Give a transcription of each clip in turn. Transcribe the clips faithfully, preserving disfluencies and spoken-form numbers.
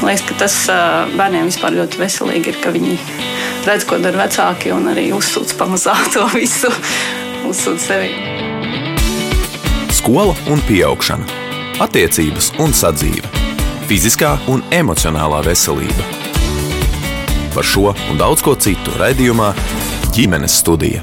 liekas, ka tas bērniem vispār ļoti veselīgi ir, ka viņi redz, ko dara vecāki un arī uzsūc pamazā to visu, uzsūc sevi. Skola un pieaugšana, attiecības un sadzīve, fiziskā un emocionālā veselība. Par šo un daudz ko citu raidījumā Ģimenes studija.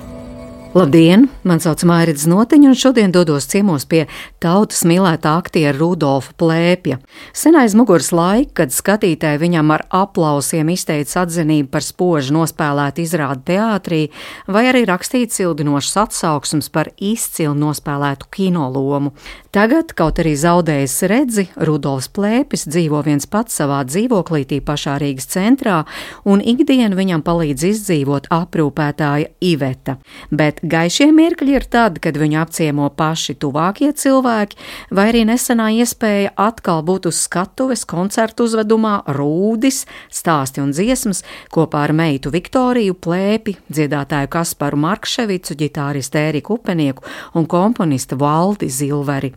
Labdien! Man sauc Mairita Znotiņa, un šodien dodos ciemos pie tautas mīlētā aktiera Rudolfa Plēpja. Sen aiz muguras laika, kad skatītāji viņam ar aplausiem izteica atzinību par spoži nospēlētu izrādi teātrī, vai arī rakstīt cildinošas atsauksmes par izcili nospēlētu kinolomu. Tagad, kaut arī zaudējis redzi, Rudolfs Plēpis dzīvo viens pats savā dzīvoklītī pašā Rīgas centrā, un ikdienu viņam palīdz izdzīvot aprūpētāja Iveta. Bet gaišie mirkļi ir tad, kad viņu apciemo paši tuvākie cilvēki, vai arī nesenā iespēja atkal būt uz skatuves koncertu uzvedumā Rūdis, stāsti un dziesmas kopā ar meitu Viktoriju Plēpi, dziedātāju Kasparu Markševicu, ģitāristu Ēriku Upenieku un komponistu Valdi Zilveri.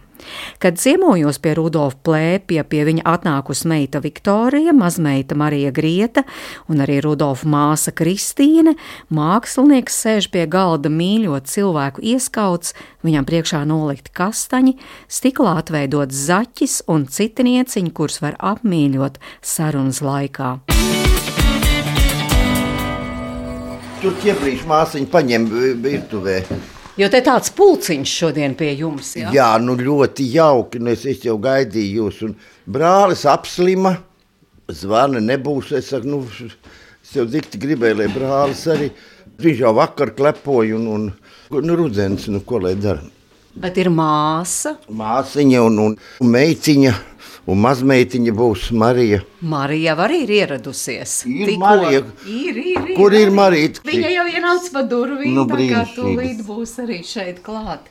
Kad ciemojos pie Rudolfa Plēpja, pie viņa atnākus meita Viktorija, mazmeita Marija Grieta un arī Rudolfa māsa Kristīne, mākslinieks sēž pie galda mīļot cilvēku ieskauts, viņam priekšā nolikti kastaņi, stiklā atveidots zaķis un citi nieciņi, kurus var apmīļot sarunas laikā. Tur ķieprīši māsiņu paņem virtuvē. Jo te tāds pulciņš šodien pie jums, jā? Jā, nu ļoti jauki, nu es, es jau gaidīju jūs, un brālis apslima, zvana nebūs, es saku, nu, es jau dikti gribēju, lai brālis arī, viņš jau vakar klepoja, un, un nu, rudzens, nu, ko lai dara. Bet ir māsa? Māsiņa un, un, un meitiņa, un mazmeitiņa būs Marija. Marija arī ir ieradusies. Ir Tikko. Marija. Ir, ir, ir. Kur ir Marija? Viņa jau ienāca pa durvīm, Nu, tā kā tūlīt būs arī šeit klāt.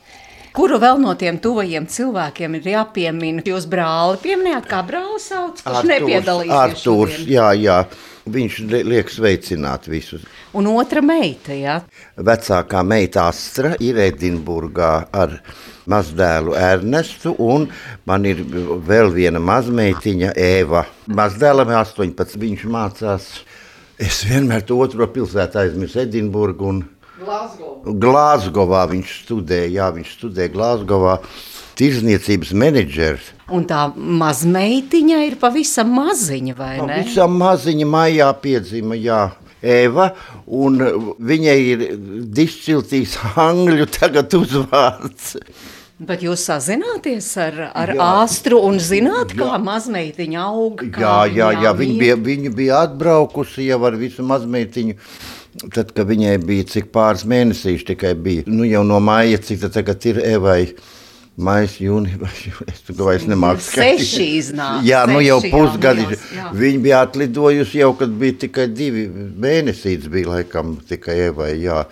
Kuru vēl no tiem tuvajiem cilvēkiem ir jāpiemina? Jūs brāli pieminējāt, kā brāli sauc, kurš Artūrs, nepiedalīsies Artūrs, šodien? jā, jā. Viņš liek sveicināt visus. Un otra meita, jā? Vecākā meita Astra ir Edinburgā ar mazdēlu Ernestu, un man ir vēl viena mazmeitiņa Ēva. Mazdēlam astoņpadsmit, viņš mācās. Es vienmēr to otro pilsētu aizmirsu, Edinburgu un Glāzgovā. Glāzgovā viņš studē, jā, viņš studē Glāzgovā. Tirzniecības menedžers. Un tā mazmeitiņa ir pavisam maziņa, vai ne? Pavisam maziņa maijā piedzima, jā. Eva, un viņai ir dišciltīs angļu tagad uzvārds. Bet jūs sazināties ar, ar Jā. Astru un zināt, Jā. kā mazmeitiņa aug? Kā Jā, jā, jā, viņa mīt? bija, viņa bija atbraukusi jau ar visu mazmeitiņu. Tad, kad viņai bija cik pāris mēnesīši tikai bija, nu jau no māja, cik tad tagad ir Evai. Mājas, jūnija, es tu vairs nemāku skatīt. Seši iznāk. Jā, nu jau seši pusgadi. jaunajos, jā. Viņa bija atlidojusi jau, kad bija tikai divi mēnesītes, bija laikam tikai Evai, jā.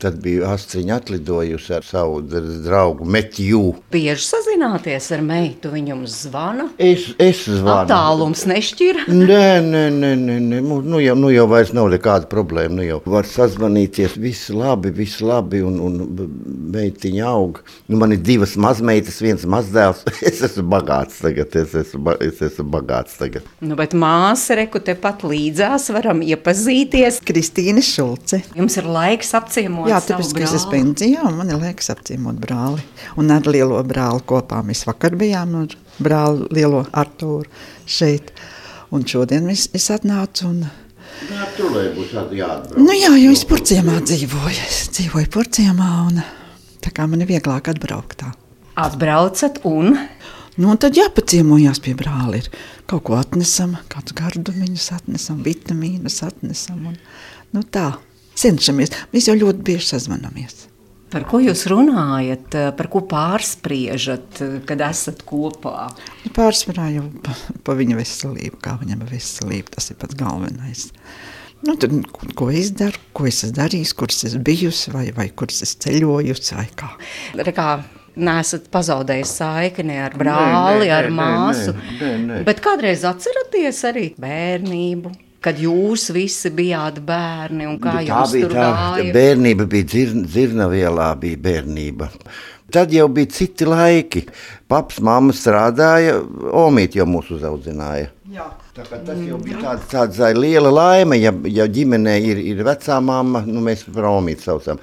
Tad bija Astriņa atlidojusi ar savu draugu Metju. Bieži sazināties ar meitu, viņam zvana? Es, es zvanu. Attālums nešķira? Nē, nē, nē, nē, nē. Nu, jau, nu jau vairs nav nekāda problēma. Nu jau var sazvanīties, viss labi, viss labi, un, un meitiņa aug. Nu, man ir divas mazmeitas, viens mazdēls. Es esmu bagāts tagad, es esmu, es esmu bagāts tagad. Nu, bet māsa, reku tepat līdzās, varam iepazīties. Kristīne Šulce. Jums ir laiks apciemot Jā, savu tāpēc, ka es brāli. esmu pensijā, un man ir laiks apciemot brāli. Un ar lielo brāli kopā mēs vakar bijām ar brāli lielo Artūru šeit. Un šodien es, es atnācu un... Nā, tu lai būs jāatbrauc. Nu jā, jo es Purciemā dzīvoju. Es dzīvoju Purciemā, un tā kā man ir vieglāk atbraukt tā. Atbraucat un... Nu, un tad jāpaciemojās pie brāli. Ir kaut ko atnesam, kādus gardumiņus atnesam, vitamīnus atnesam. Un, nu tā, cenšamies. Mēs jau ļoti bieži sazvanamies. Par ko jūs runājat, par ko pārspriežat, kad esat kopā? Pārsvarā jau pa, pa viņa veselību, kā viņam ir veselība, tas ir pats galvenais. Nu, tad, ko es daru, ko es esmu darījis, kuras es bijusi, vai, vai kuras es ceļojusi, vai kā. Rekā, neesat pazaudējis saikni ar brāli, Nē, nē, ar nē, māsu, nē, nē, nē. bet kādreiz atceraties arī bērnību? Kad jūs visi bijāt bērni un kā Tā jums bija tur tā, gāja? bērnība bija dzir, dzirnavielā bija bērnība. Tad jau bija citi laiki. paps, mamma strādāja, omīti jau mūs uzaudzināja. Jā. Tā kā tas jau bija tāds, tāds liela laime, ja, ja ģimenē ir, ir vecā mamma, nu mēs par omīti saucam.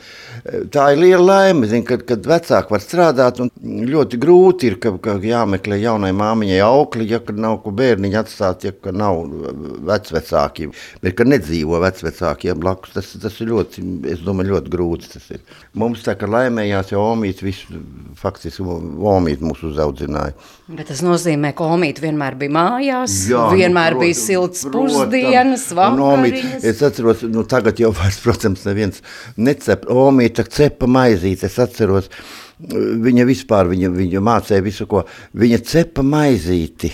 Tā ir liela laime, zin, kad, kad vecāki var strādāt, un ļoti grūti ir, ka, ka jāmeklē jaunai māmiņai aukli, ja kad nav ko bērniņu atstāt, ja kad nav vecvecāki, bet kad nedzīvo vecvecākiem blakus, tas, tas ir ļoti, es domāju, ļoti grūti tas ir. Mums tā, ka laimējās jau omīti visu, faktiski omīti mūs uzaudzināja. Bet tas nozīmē, ka omīti vienmēr bija mājās, Jā, vienmēr nu, bija silts pusdienas, vakariņas. Es atceros, nu tagad jau vairs, protams, neviens necep. Omīta cepa maizīti, es atceros, viņa vispār, viņa, viņa mācēja visu, ko. Viņa cepa maizīti,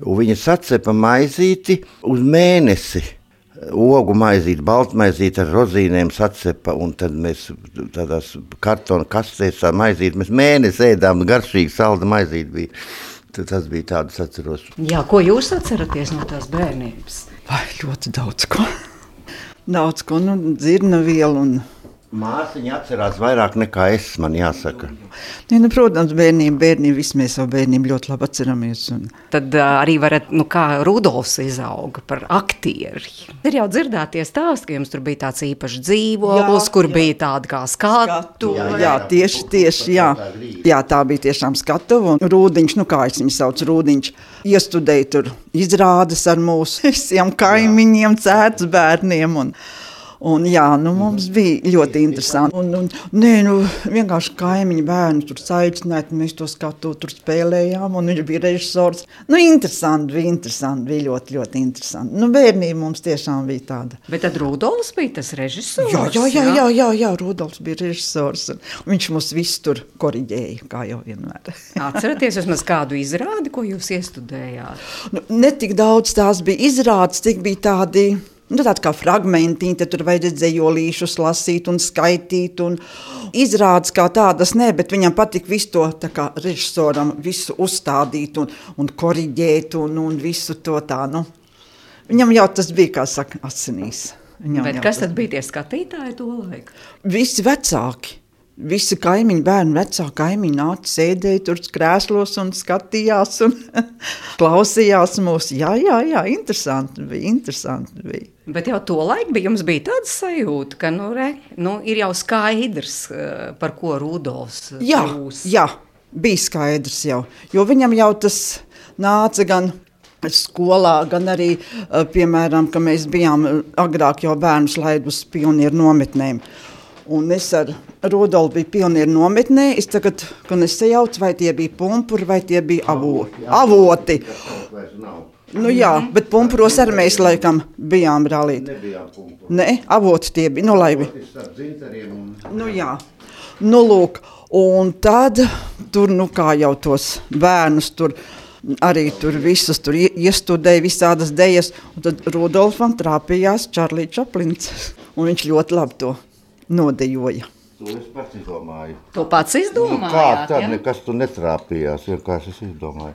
un viņa sacepa maizīti uz mēnesi. Ogu maizīti, baltmaizīti ar rozīnēm sacepa, un tad mēs tādās kartona kastēs ar maizīti, mēs mēnesi ēdām, garšīgi salda maizīti bija. Tad tas bija tāds, atceros. Jā, ko jūs atceraties no tās bērnības? Vai, ļoti daudz ko. Daudz ko, nu, dzirna vielu un... Māsiņa atcerās vairāk nekā es, man jāsaka. Ja, nu, protams, bērnība, bērnība, visi mēs savu bērnību ļoti labi atceramies. Un... Tad uh, arī varat, nu kā Rudolfs izauga par aktieri. Ir jau dzirdētie stāsti, ka jums tur bija tāds īpašs dzīvoklis, kur jā. Bija tāda kā skatu. Jā, jā, tieši, tieši, jā. Jā, tā bija tiešām skatuva. Un Rūdiņš, nu kā es viņu sauc, Rūdiņš, iestudēja tur izrādes ar mūsu visiem kaimiņiem, cētas bērniem un... Un jā, nu mums bija ļoti interesanti. Un, un, nē, nu, vienkārši kaimiņu bērnu tur saicināja, mēs to skatu, tur spēlējām, un viņš bija režisors. Nu, interesanti, bija interesanti, bija ļoti, ļoti interesanti. Nu, bērnība mums tiešām bija tāda. Bet tad Rudolfs bija tas režisors? Jā, jā, jā, jā, jā, jā Rudolfs bija režisors. Viņš mūs visu tur koriģēja, kā jau vienmēr. Atceraties vismaz kādu izrādi, ko jūs iestudējāt? Nu, ne tik daudz tās bija izrādes, tik bija tādi... Nu, tādi kā fragmentiņi, tad tur vajadzēja dzejolīšus lasīt un skaitīt un izrādes kā tādas, ne, bet viņam patika visu to, tā kā režisoram, visu uzstādīt un, un koriģēt un, un visu to tā, nu. Viņam jau tas bija, kā saka, asinīs. Viņam bet kas tad bija tie skatītāji to laiku? Visi vecāki. Visi kaimiņi, bērni, vecā kaimiņi nāca, sēdēja tur krēslos un skatījās un klausījās mūs. Jā, jā, jā, interesanti bija, interesanti bija. Bet jau to laiku bija, jums bija tāda sajūta, ka nu, re, nu, ir jau skaidrs, par ko Rudolfs jā, būs. Jā, bija skaidrs jau, jo viņam jau tas nāca gan skolā, gan arī, piemēram, ka mēs bijām agrāk jau bērnus laid uz pionieru nometnēm. Un es ar Rudolfu biju pionieru nometnē, es tagad, kad es sajaucu, vai tie bija pumpuri, vai tie bija avo, avoti. Nu jā, bet pumpuros arī mēs laikam bijām brālīti. Nebijām pumpuri. Ne, avoti tie bija, nu laivi. Nu jā, nu lūk, un tad tur, nu kā jau tos bērnus tur, arī tur visus tur iestudēja visādas dejas, un tad Rudolfam trāpījās Čarlī Čaplins, un viņš ļoti labi to nodejoja. To es pats izdomāju. To pats izdomājāt? Nu, kā tad, ja? Nekas tu netrāpījās, vienkārši es izdomāju.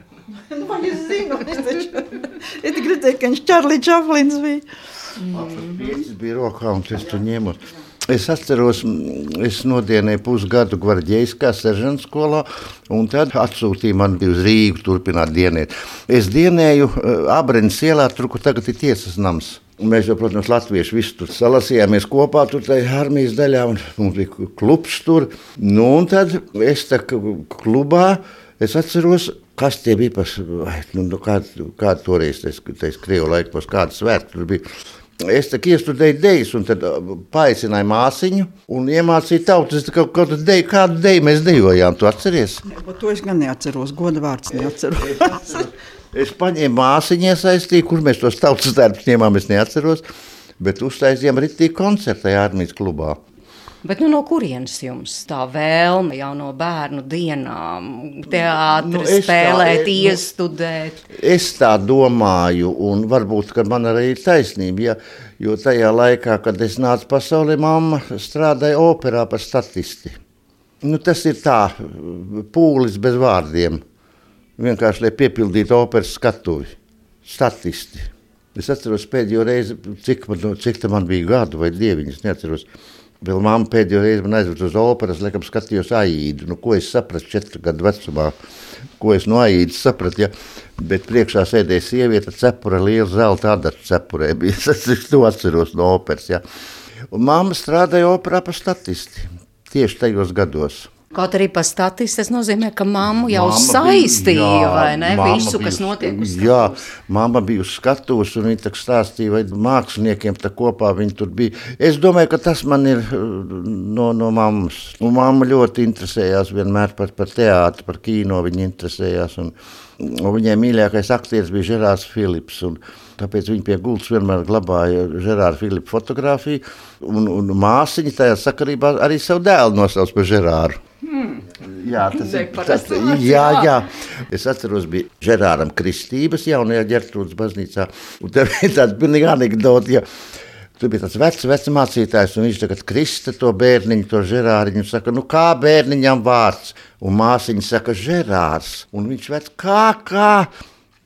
Nu, es zinu, es taču, es gribēju, ka viņš Čarlī Čaplins bija. Mm. Piecis bija rokā, un es tu ņēmu. Es atceros, es nodienēju pusgadu gvarģeiskā seržanta skolā, un tad atsūtīja mani uz Rīgu turpināt dienēt. Es dienēju Abrenes ielā, tur, kur tagad ir tiesas nams. Un mēs jau, protams, latvieši visi tur salasījāmies kopā, tur tajā armijas daļā, un mums bija klubs tur. Nu, un tad es tā klubā, es atceros, kas tie bija par, nu, kāda kā toreiz, tais Krievu laikos, kāda svētki tur bija. Es tā iestudēju dejas, un tad paaicināju māsiņu, un iemācīju tautas, kaut kādu deju, kādu deju mēs dejojām, tu atceries? Ja, to es gan neatceros, goda vārds neatceros. Es paņēmu māsiņu iesaistīju, kur mēs tos tautas darbus ņēmām, es neatceros, bet uztaisījām ritīgi koncertu tajā armijas klubā. Bet nu no kurienes jums tā vēlme jau no bērnu dienām, teātri, nu, spēlēt, tā, iestudēt? Nu, es tā domāju, un varbūt, ka man arī ir taisnība, ja, jo tajā laikā, kad es nācu pasaulē, mamma strādāja operā par statisti. Nu, tas ir tā, pūlis bez vārdiem. Vienkārši, lai piepildītu operas skatuvi. Statisti. Es atceros pēdējo reizi, cik man, cik man bija gadu vai dieviņas, neatceros. Vēl mamma pēdējo reizi man aizved uz operas, laikam skatījos Aīdu, nu ko es sapratu četru gadu vecumā, ko es no Aīdas sapratu, ja? Bet priekšā sēdēja sieviete cepura, liela zelta adata cepurē, bija, es to atceros no operas, ja? Un mamma strādāja operā par statisti, tieši tajos gados. Kaut arī pa statisti, tas nozīmē, ka mammu jau Mamma saistīja, bija, jā, vai ne, mamma visu, bija kas uz- notiek uz Jā, skatuves. mamma bija uz skatuves, un viņa tā stāstīja, vai māksliniekiem tā kopā viņi tur bija. Es domāju, ka tas man ir uh, no, no mammas. Un mamma ļoti interesējās vienmēr par, par teātru, par kino viņa interesējās, un, un viņai mīļākais aktieris bija Žerārs Filips, un tāpēc viņa pie gultas vienmēr glabāja Žerāra Filipa fotografiju, un, un māsiņa tajā sakarībā arī savu dēlu nosauc par Žerāru. Jā, tas ir tas, jā, jā. Es atceros, bija Žerāram kristības jaunajā Ģertrūdas baznīcā, un tā bija tāda pilnīgi anekdota, ja tur bija tāds vecs, vecs mācītājs, un viņš tagad krista to bērniņu, to Žerāriņu, un saka, nu kā bērniņam vārds? Un māsiņa saka, Žerārs, un viņš vec, kā, kā?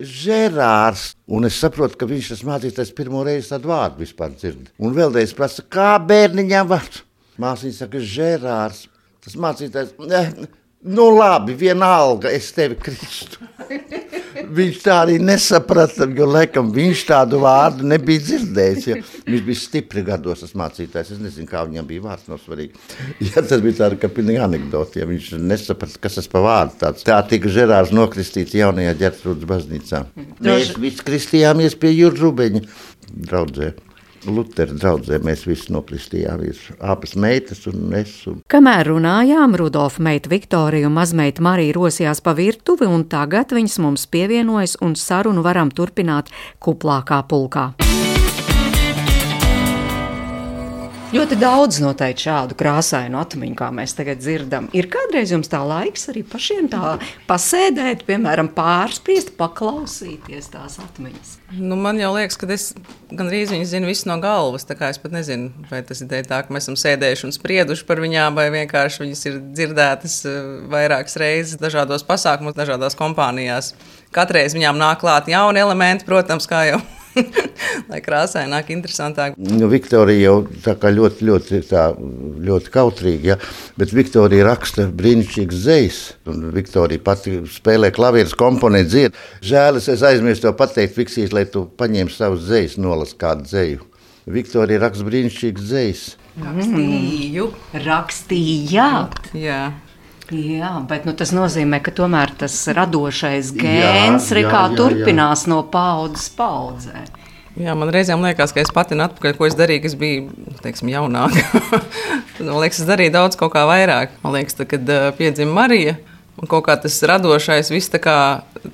Žerārs. Un es saprotu, ka viņš tas mācītājs pirmo reizi tādu vārdu vispār dzird. Un vēlreiz prasa, kā bērniņam vārds? Māsiņa saka, Žerārs. Tas mācītājs, ne, nu labi, vienalga, es tevi kristu. Viņš tā arī nesaprata, jo laikam viņš tādu vārdu nebija dzirdējis. Ja. Viņš bija stipri gados, tas mācītājs. Es nezinu, kā viņam bija vārds, nav svarīgi. Ja, tas bija tāda, ka pilnīgi anekdoti, ja viņš nesaprata, kas tas pa vārdu tāds. Tā tika Žerārs nokristīts jaunajā Ģertrūdas baznīcā. Mēs visi kristījāmies pie Jurģa Rubeņa draudzē. Lutera draudzē mēs visi nokristījāmies, abas meitas un es. Un... Kamēr runājām, Rudolfa meita Viktorija un mazmeita Marija rosījās pa virtuvi, un tagad viņas mums pievienojas un sarunu varam turpināt kuplākā pulkā. Ļoti daudz noteikti šādu krāsainu atmiņu, kā mēs tagad dzirdam. Ir kādreiz jums tā laiks arī pašiem tā pasēdēt, piemēram, pārspriest, paklausīties tās atmiņas? Nu, man jau liekas, ka es gandrīz viņas zinu visu no galvas, tā kā es pat nezinu, vai tas ir tā, ka mēs esam sēdējuši un sprieduši par viņām, vai vienkārši viņas ir dzirdētas vairākas reizes dažādos pasākumos, dažādās kompānijās. Katreiz viņām nāk klāt jauni elementi, protams, kā jau. Lai krāsaināk, interesantāk. Nu, Viktorija jau tā kā ļoti, ļoti, tā, ļoti kautrīga, ja? Bet Viktorija raksta brīnišķīgas dzejas. Un Viktorija pati spēlē klavieres, komponē, dzied. Žēl, es aizmirstu tev pateikt, Fiksīs, lai tu paņem savus dzejas, nolas kādu dzeju. Viktorija raksta brīnišķīgas dzejas. Rakstīju. Rakstījāt? Jā. Jā, bet nu, tas nozīmē, ka tomēr tas radošais gēns jā, jā, kā jā, turpinās jā. No paudzes paudzē. Jā, man reizēm liekas, ka es pati atpakaļ, ko es darīju, ka es biju, teiksim, jaunāka. Man liekas, es darīju daudz kaut kā vairāk. Man liekas, tā, kad uh, piedzima Marija, un kaut kā tas radošais viss tā kā,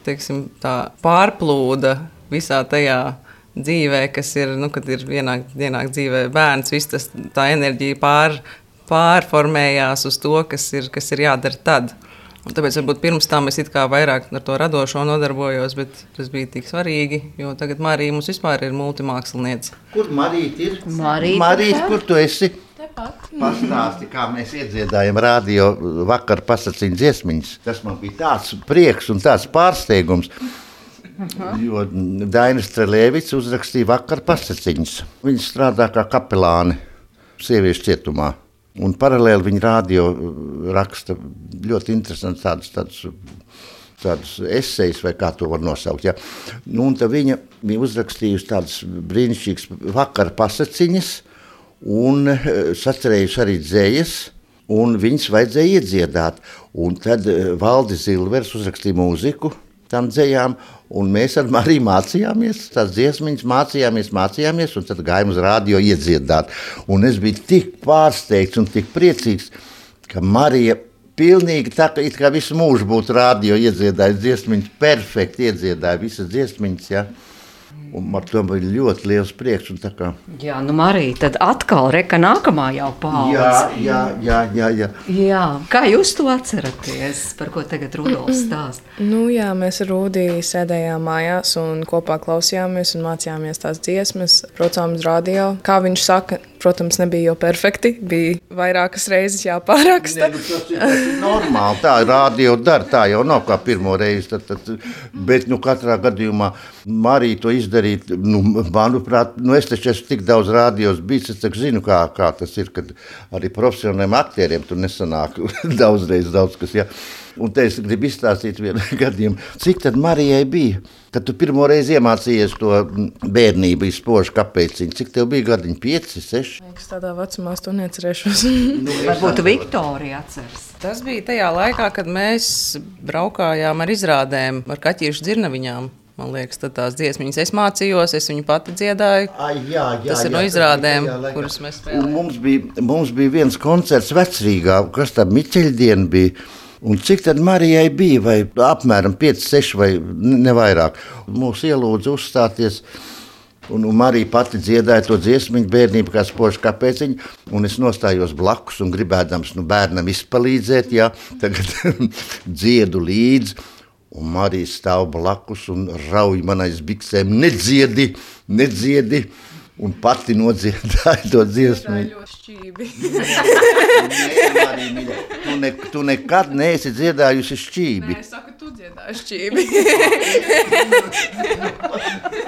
teiksim, tā pārplūda visā tajā dzīvē, kas ir, nu, kad ir vienāk, vienāk dzīvē bērns, viss tas, tā enerģija pār pārformējās uz to, kas ir, kas ir jādara tad. Un tāpēc varbūt pirms tam es it kā vairāk ar to radošo nodarbojos, bet tas bija tik svarīgi, jo tagad Marija mums vispār ir multimāksliniece. Kur Marīt ir? Marīt, Marīt, kur tu esi? Tepat. Pastāsti, kā mēs iedziedājam radio vakar pasaciņu dziesmiņas. Tas man bija tāds prieks un tāds pārsteigums. Aha. Jo Daina Strelēvics uzrakstīja vakar pasaciņas. Viņa strādā kā kapelāne sieviešu cietumā. Un paralēli viņa radio raksta ļoti interesants tādus, tādus, tādus esejus, vai kā to var nosaukt. Ja. Nu, un tad viņa bija uzrakstījusi tādas brīnišķīgas vakara pasaciņas un sacerējusi arī dzējas, un viņas vajadzēja iedziedāt. Un tad Valdis Zilvers uzrakstīja mūziku tām dzējām, un mēs ar Mariju mācījāmies, tās dziesmiņas mācījāmies, mācījāmies, un tad gājām uz radio iedziedāt. Un es biju tik pārsteigts un tik priecīgs, ka Marija pilnīgi tā, ka it kā visu mūžu būtu radio iedziedājusi dziesmiņas, perfekti iedziedāja visas dziesmiņas, ja. Un ar to bija ļoti liels prieks. Un tā kā... Jā, nu Marija, tad atkal reka nākamā jau paudze. Jā, jā, jā, jā, jā. Jā, kā jūs to atceraties, par ko tagad Rudolfs stāst? Nu jā, mēs ar Rūdī sēdējām mājās un kopā klausījāmies un mācījāmies tās dziesmas, braucām uz radio. Kā viņš saka, protams, nebija jau perfekti, bija vairākas reizes jāpāraksta. Ne, nu, tas, ir, tas ir normāli, tā radio dara, tā jau nav kā pirmo reizi, tad, tad, bet nu katrā gadījumā Marija to izdara darīt. Nu, manuprāt, nu es taču esmu tik daudz rādījos bijis, es taču zinu, kā, kā tas ir, kad arī profesionāliem aktieriem tur nesanāk daudzreiz daudz kas, ja. Un te es gribu izstāstīt vienu gadījumu. Cik tad Marijai bija, kad tu pirmo reizi iemācījies to bērnību izpožu kapeciņu? Cik tev bija gadiņi? Pieci, seši? Es tādā vecumā es to neatcerēšos. Nu, Varbūt Viktorija atceras. Tas bija tajā laikā, kad mēs braukājām ar izrādēm, ar kaķīšu dzirnaviņām. Man liekas, tad tās dziesmiņas es mācījos, es viņu pati dziedāju. Ai, jā, jā, tas ir jā, no izrādēm, jā, kuras mēs spēlējām. Mums bija, mums bija viens koncerts Vecrīgā, kas tā Miķeļdiena bija. Un cik tad Marijai bija, vai apmēram pieci, seši vai ne vairāk. Mūs ielūdza uzstāties, un, un Marija pati dziedāja to dziesmiņu bērnību, kā spožu kapeciņu, un es nostājos blakus un gribēdams nu, bērnam izpalīdzēt, jā, tagad dziedu līdzi, un Marija stāv blakus un rauj man aiz biksēm, nedziedi, nedziedi, un pati nodziedāja to dziesmiņu. Nē, Marija, mīļa, tu, ne, tu nekad neesi dziedājusi šķībi. Nē, es saku, tu dziedāji šķībi.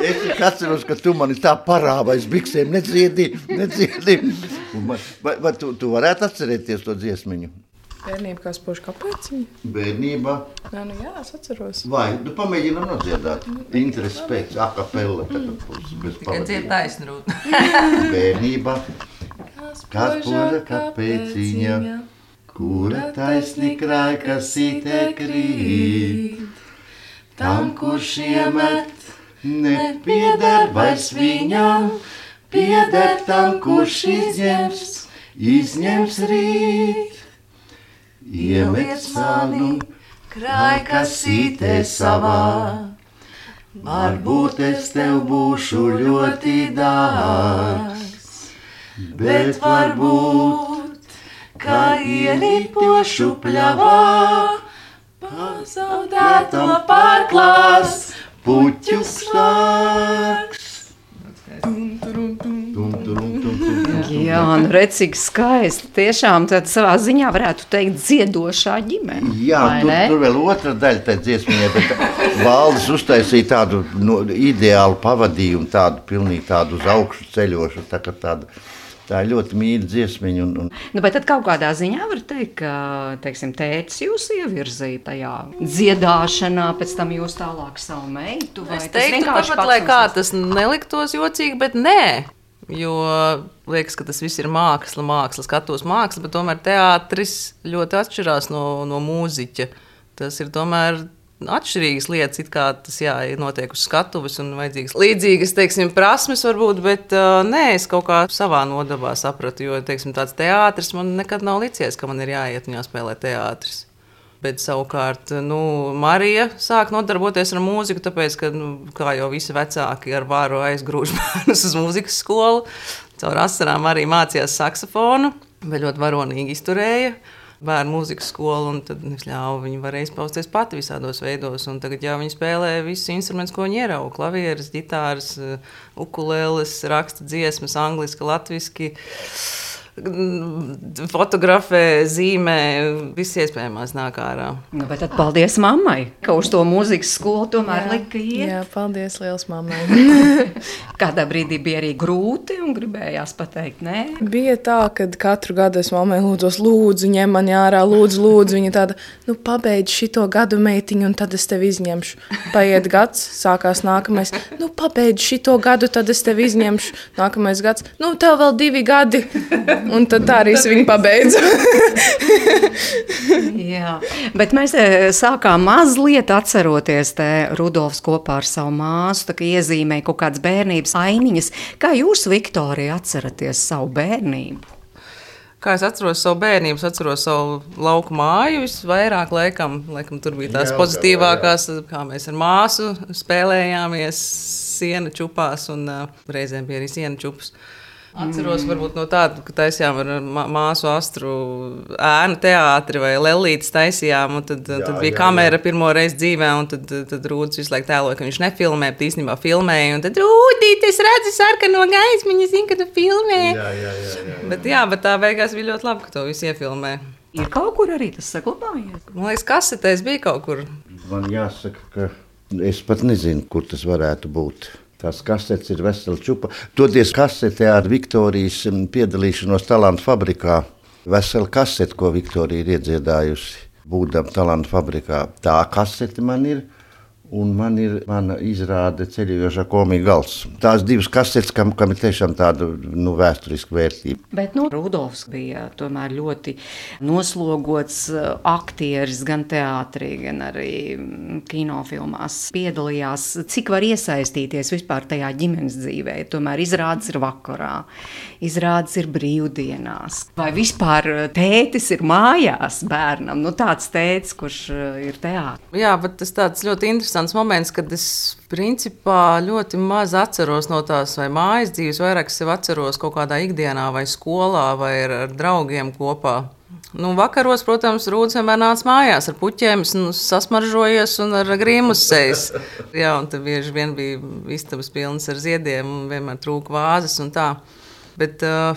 Es tik atceros, ka tu mani tā parāva aiz biksēm, nedziedi, nedziedi. Man, vai vai tu, tu varētu atcerēties to dziesmiņu? Bērnība kā spožu kapeciņa? Bērnībā? Nē, nu jā, es atceros. Vai, tu pamēģinām nodziedāt. Interesi pēc akapella. Tikai dzied taisnrūt. Bērnībā. Kā spoža kapeciņa, kura taisni krāj, kas sītē krīt. Tam, kurš iemet, nepieder vairs viņam, pieder tam, kurš izņems, izņems rīt. Iemet sānu, krāj, kas sītē savā, varbūt es tev būšu ļoti dārgs, bet varbūt, kā ieripošu pļavā, pazaudēto pārklās puķu stāks. Jā, nu redz, cik skaisti. Tiešām tad savā ziņā varētu teikt dziedošā ģimene. Jā, tur, tur vēl otra daļa tai dziesmiņai, bet Valdis uztaisīja tādu no, ideālu pavadījumu, tādu pilnīgi tādu uz augšu ceļošu, tā kā tādu. Tā ir ļoti mīļa dziesmiņa. Un, un... Nu, bet tad kaut kādā ziņā var teikt, ka, teiksim, tētis jūs ievirzīja tajā dziedāšanā, pēc tam jūs tālāk savu meitu, vai es tas teiktu, vienkārši tāpat, lai kā tas neliktos jocīgi, bet nē. Jo liekas, ka tas viss ir māksla, māksla, skatos māksla, bet tomēr teātris ļoti atšķirās no, no mūziķa. Tas ir tomēr atšķirīgas lietas, it kā tas jā, ir notiek uz skatuves un vajadzīgas līdzīgas, teiksim, prasmes varbūt, bet uh, nē, es kaut kā savā nodabā sapratu, jo, teiksim, tāds teātris man nekad nav licies, ka man ir jāiet un jāspēlē teātris. Bet savukārt, nu, Marija sāk nodarboties ar mūziku, tāpēc, ka, nu, kā jau visi vecāki ar vāru aizgrūž bērnus uz mūzikas skolu, caur asarām arī mācījās saksofonu, bet ļoti varonīgi izturēja bērnu mūzikas skolu, un tad ļāva viņi varēja izpausties pati visādos veidos, un tagad jau viņi spēlē visus instrumentus, ko viņi ierauga, klavieres, ģitāras, ukuleles, raksta dziesmas, angliski, latviski, fotografē, zīmē, viss iespējamās nāk ārā. Nu, bet tad paldies mammai, ka uz to mūzikas skolu tomēr jā, lika iet. Jā, paldies liels mammai. Kādā brīdī bija arī grūti un gribējās pateikt nē? Bija tā, kad katru gadu es mammai lūdzos, lūdzu, ņem mani ārā, lūdzu, lūdzu. Viņa tāda, nu pabeidz šito gadu meitiņu un tad es tevi izņemšu. Paiet gads, sākās nākamais, nu pabeidz šito gadu, tad es tevi izņemšu. Nākamais gads, nu tev vēl divi gadi. Un tad tā arī es viņu pabeidzu. Jā, bet mēs sākām mazliet atceroties te Rudolfs kopā ar savu māsu, tā kā iezīmēja kaut kādas bērnības ainiņas. Kā jūs, Viktorija, atceraties savu bērnību? Kā es atceros savu bērnību, es atceros savu lauku māju visvairāk laikam. Laikam tur bija tās jā, pozitīvākās, kā mēs ar māsu spēlējāmies siena čupās un uh, reizēm bija arī siena čupas. Atceros varbūt no tāda, ka taisījām ar māsu Astru ēnu teātri vai Lelītes taisījām, un tad, jā, tad bija jā, kamera jā. Pirmo reizi dzīvē, un tad, tad Rūdis visu laiku tēloja, ka viņš nefilmē, bet īstenībā filmēja, un tad Rūdīt, es redzu sarkano gaismiņu, es zinu, ka tu filmē. Jā, jā, jā, jā. Bet jā, bet tā beigās bija ļoti labi, ka to visu iefilmē. Ir kaut kur arī tas saglabājies? Man liekas, kasetēs bija kaut kur. Man jāsaka, ka es pat nezinu, kur tas varētu būt. Tās kasetes ir vesela čupa. Toties kasetē ar Viktorijas piedalīšanos Talantu fabrikā. Vesela kasete, ko Viktorija ir iedziedājusi, būdama Talantu fabrikā. Tā kasete man ir. Un man ir mana izrāde Ceļojošā komija gals. Tās divas kasetes, kam, kam ir tiešām tāda nu, vēsturiska vērtība. Bet nu, Rudolfs bija tomēr ļoti noslogots aktieris gan teātrī, gan arī kinofilmās. Piedalījās, cik var iesaistīties vispār tajā ģimenes dzīvē. Tomēr izrādes ir vakarā, izrādes ir brīvdienās. Vai vispār tētis ir mājās bērnam? Nu, tāds tētis, kurš ir teātrī. Jā, bet tas tāds ļoti interesants moments, kad es principā ļoti maz atceros no tās vai mājas dzīves, vairāk sev atceros kaut kādā ikdienā vai skolā vai ar, ar draugiem kopā. Nu, vakaros, protams, Rūdis vienmēr nāca mājās ar puķiem, nu, sasmaržojies un ar grīmu uz sejas. Jā, un tad bieži vien bija istabas pilnas ar ziediem un vienmēr trūka vāzes un tā. Bet, uh,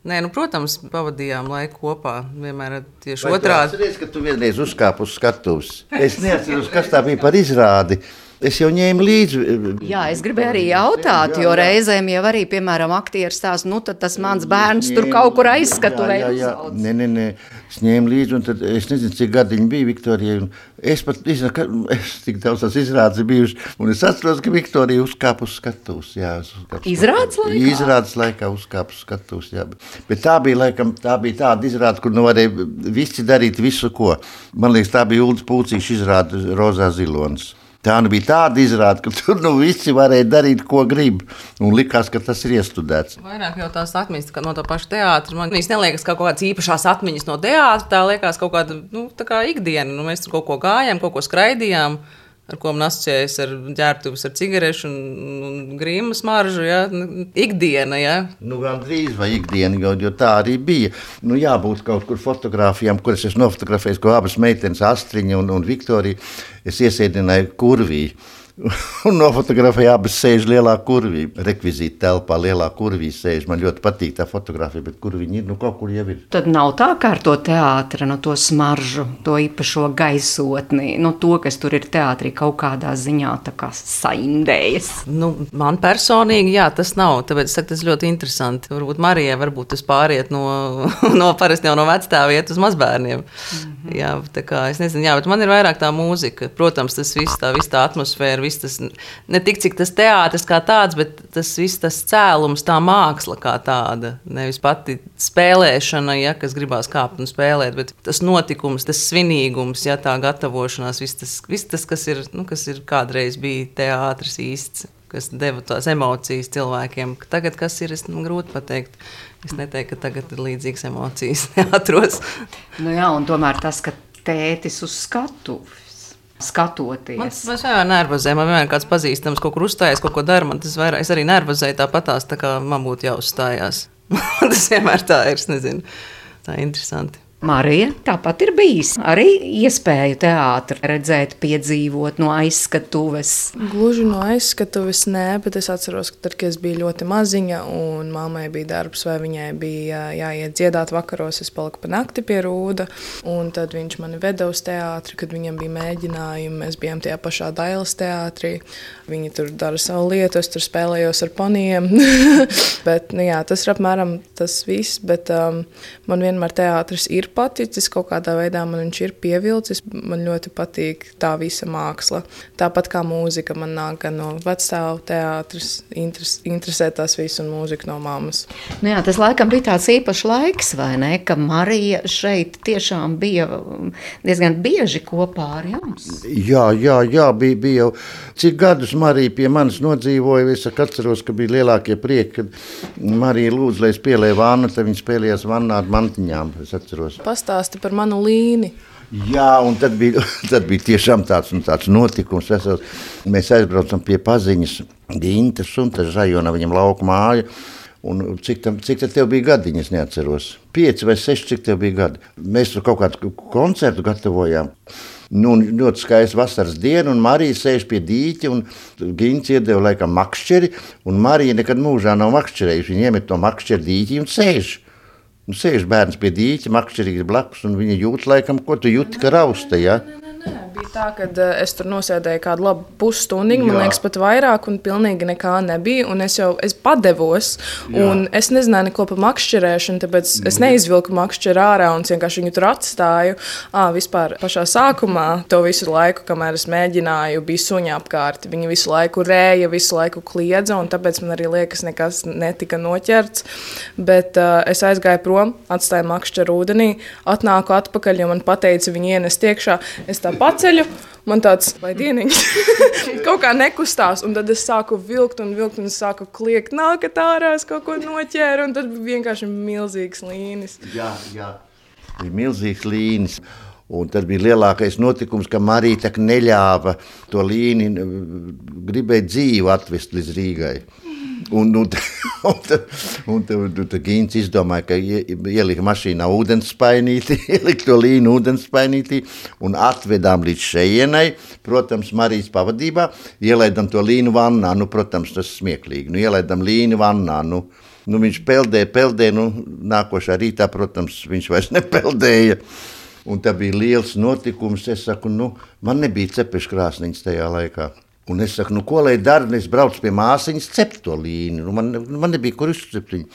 nē, nu, protams, pavadījām laiku kopā. Vienmēr tieši Vai otrādi. Vai tu atceries, ka tu vienreiz uzkāpi uz skatuves? Es neatceros, kas tā bija par izrādi. Es jau ņēmu līdzi. Jā, es gribēju arī jautāt, jo reizēm jau arī, piemēram, aktieris tās, nu tad tas mans bērns tur kaut kur aizskatuvē uzaudzis. Nē, nē, nē, es ņēmu līdzi, un tad es nezinu, cik gadiņi bija Viktorijai. Es pat nezinu, ka es tik daudz tās izrādes bijuši, un es atceros, ka Viktorija uzkāpa uz skatuves. Jā, uz izrādes laikā? Izrādes laikā uzkāpa uz skatuves, jā. Bet tā bija, laikam, tā bija tāda izrāde, kur nu varēja visi darīt visu, ko. Man liekas, tā bija Uldis Pulcīša izrāde Rozā zilonis. Tā nu bija tāda izrāde, ka tur nu visi varēja darīt, ko grib. Un likās, ka tas ir iestudēts. Vairāk jau tās atmiņas no tā paša teātra. Man īsti neliekas, ka kaut kādas īpašās atmiņas no teātra. Tā liekas kaut kāda nu, tā kā ikdiena. Nu, mēs tur kaut ko gājām, kaut ko skraidījām, ar ko man asociējas ar ģērbtuves, ar cigarešu un, un grīmu smaržu. Ja? Ikdiena, ja? Nu, gan drīz vai ikdiena, jo, jo tā arī bija. Nu, jābūt kaut kur fotogrāfijām, kuras es nofotografēju, ko abas meitenes, Astriņa un, un Viktorija, es iesēdināju kurvī. Un nofotografēju abas sēž lielā kurvī. Rekvizīta telpā lielā kurvī sēž. Man ļoti patīk tā fotografija, bet kur viņi ir, nu kaut kur jau ir. Tad nav tā kā ar to teātra, no to smaržu, to īpašo gaisotni, no to, kas tur ir teātrī kaut kādā ziņā tā kā saindējas. Nu, man personīgi, jā, tas nav, tāpēc es saku, tas ļoti interesanti. Varbūt Marijai, varbūt tas pāriet no, no parasti jau no vecstāva iet uz mazbērniem. Mm-hmm. Jā, tā kā, es nezinu, jā, bet man ir vairāk tā mūzika. Protams, tas viss tā, viss tā atmosfēra, viss tas, ne tik cik tas teātris kā tāds, bet tas viss tas cēlums, tā māksla kā tāda. Nevis pati spēlēšana, ja, kas gribās kāpt un spēlēt, bet tas notikums, tas svinīgums, ja, tā gatavošanās, viss tas, viss tas kas, ir, nu, kas ir kādreiz bija teātris īsts, kas deva tās emocijas cilvēkiem. Tagad kas ir, es nu, grūti pateikt. Es neteiktu, ka tagad ir līdzīgas emocijas neatros. Nu jā, un tomēr tas, ka tētis uz skatuves. Skatoties. Man tas vienmēr nervozē. Man vienmēr kāds pazīstams kaut kur uzstājas, kaut ko dara. Man tas vairāk, es arī nervozēju tāpatās, tā kā man būtu jāuzstājās. Tas vienmēr tā ir, es nezinu. Tā ir interesanti. Marija, tāpat ir bijis arī iespēja teātri redzēt, piedzīvot no aizskatuves. Gluži no aizskatuves nē, bet es atceros, ka tad, kad es biju ļoti maziņa un mammai bija darbs vai viņai bija jāiet dziedāt vakaros, es paliku pa nakti pie Rūda, un tad viņš mani veda uz teātri, kad viņam bija mēģinājumi, mēs bijām tajā pašā Dailes teātrī. Viņi tur dara savu lietu, es tur spēlējos ar ponijiem, bet, nu jā, tas ir apmēram tas viss, bet um, man vienmēr teātris ir paticis, kaut kādā veidā man viņš ir pievilcis, man ļoti patīk tā visa māksla. Tāpat kā mūzika man nāk gan no vecstāvu teātris, interes, interesē tās visu un mūzika no mammas. Nu jā, tas laikam bija tāds īpašs laiks, vai ne, ka Marija šeit tiešām bija diezgan bieži kopā ar jums. Jā, jā, jā, bija, bija jau. Cik gadus Marija pie manis nodzīvoja, es atceros, ka bija lielākie prieki, kad Marija lūdza, lai es pielēju vannu, tad viņa spēlējās vannā ar mantiņām, es atceros. Pastāsti par manu līni. Jā, un tad bija, tad bija tiešām tāds, tāds notikums. Mēs aizbraucam pie paziņas Gintas un tas Žajona, viņam lauku māja. Un cik, tam, cik tev bija gadiņi, es neatceros. Pieci vai seši, cik tev bija gadi. Mēs tur kaut kādu koncertu gatavojām. Nu, ļoti skaists vasaras diena, un Marija sēž pie dīķa, un Gints iedeva laikam makšķeri, un Marija nekad mūžā nav makšķerējuši. Viņa iemet to makšķeri dīķi un sēž. Un sēž bērns pie dīķa, makšķerīgs blakus, un viņa jūt laikam, ko tu jūti, ka rausta, ja? Nē, nē, nē. Bija tā, ka es tur nosēdēju kādu labu pusstundu, man liekas, pat vairāk, un pilnīgi nekā nebija. Un es jau es padevos, Jā. un es nezināju neko par makšķerēšanu, tāpēc es neizvilku makšķeru ārā un vienkārši viņu tur atstāju. À, vispār pašā sākumā to visu laiku, kamēr es mēģināju, bija suņi apkārt. Viņi visu laiku rēja, visu laiku kliedza, un tāpēc man arī liekas, nekas netika noķerts. Bet uh, es aizgāju prom, atstāju makšķeru ūdenī, atnāku atpakaļ, jo man pateica, viņi ienest iekšā. Es tā paceļu, man tāds, vai dieniņš, kaut kā nekustās, un tad es sāku vilkt un vilkt, un es sāku kliegt, nākat ārā, es kaut ko noķēru, un tad bija vienkārši milzīgs līnis. Jā, jā, bija milzīgs līnis, un tad bija lielākais notikums, ka Marīta neļāva to līni, gribēja dzīvu atvest līdz Rīgai. Un, un, un, un, un, un Gīns izdomāja, ka ielika mašīnā ūdenspainītī, ielika to līnu ūdenspainītī un atvedām līdz šejienai, protams, Marijas pavadībā, ielaidam to līnu vannā, nu, protams, tas smieklīgi, nu, ielaidam līnu vannā, nu, nu viņš peldēja, peldēja, nu, nākošā rītā, protams, viņš vairs nepeldēja, un tā bija liels notikums, es saku, nu, man nebija cepeškrāsniņas tajā laikā. Un es saku, nu, ko lai dara, un es braucu pie māsiņas cept to līni. Nu, man, man nebija, kur izcept viņu.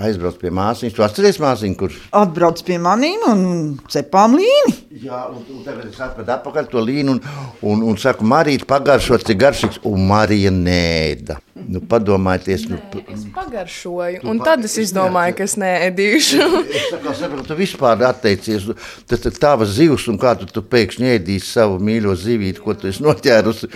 Aizbraucu pie māsiņas. Tu atceries māsiņu, kur? Atbrauc pie manīm un cepām līni. Jā, un, un tagad es atvedu atpakaļ to līni un, un, un saku, Marīte, pagaršot, cik garšīgs. Un Marija nēda. Nu, padomājieties. Nē, nu, es pagaršoju, un tad es izdomāju, ka es neēdīšu. Es saku, saprotu, tu vispār atteicies. Tas ir tavas zivs, un kā tu, tu pēkšņi ēdīsi savu mīļo zivīti, ko tu esi noķērusi.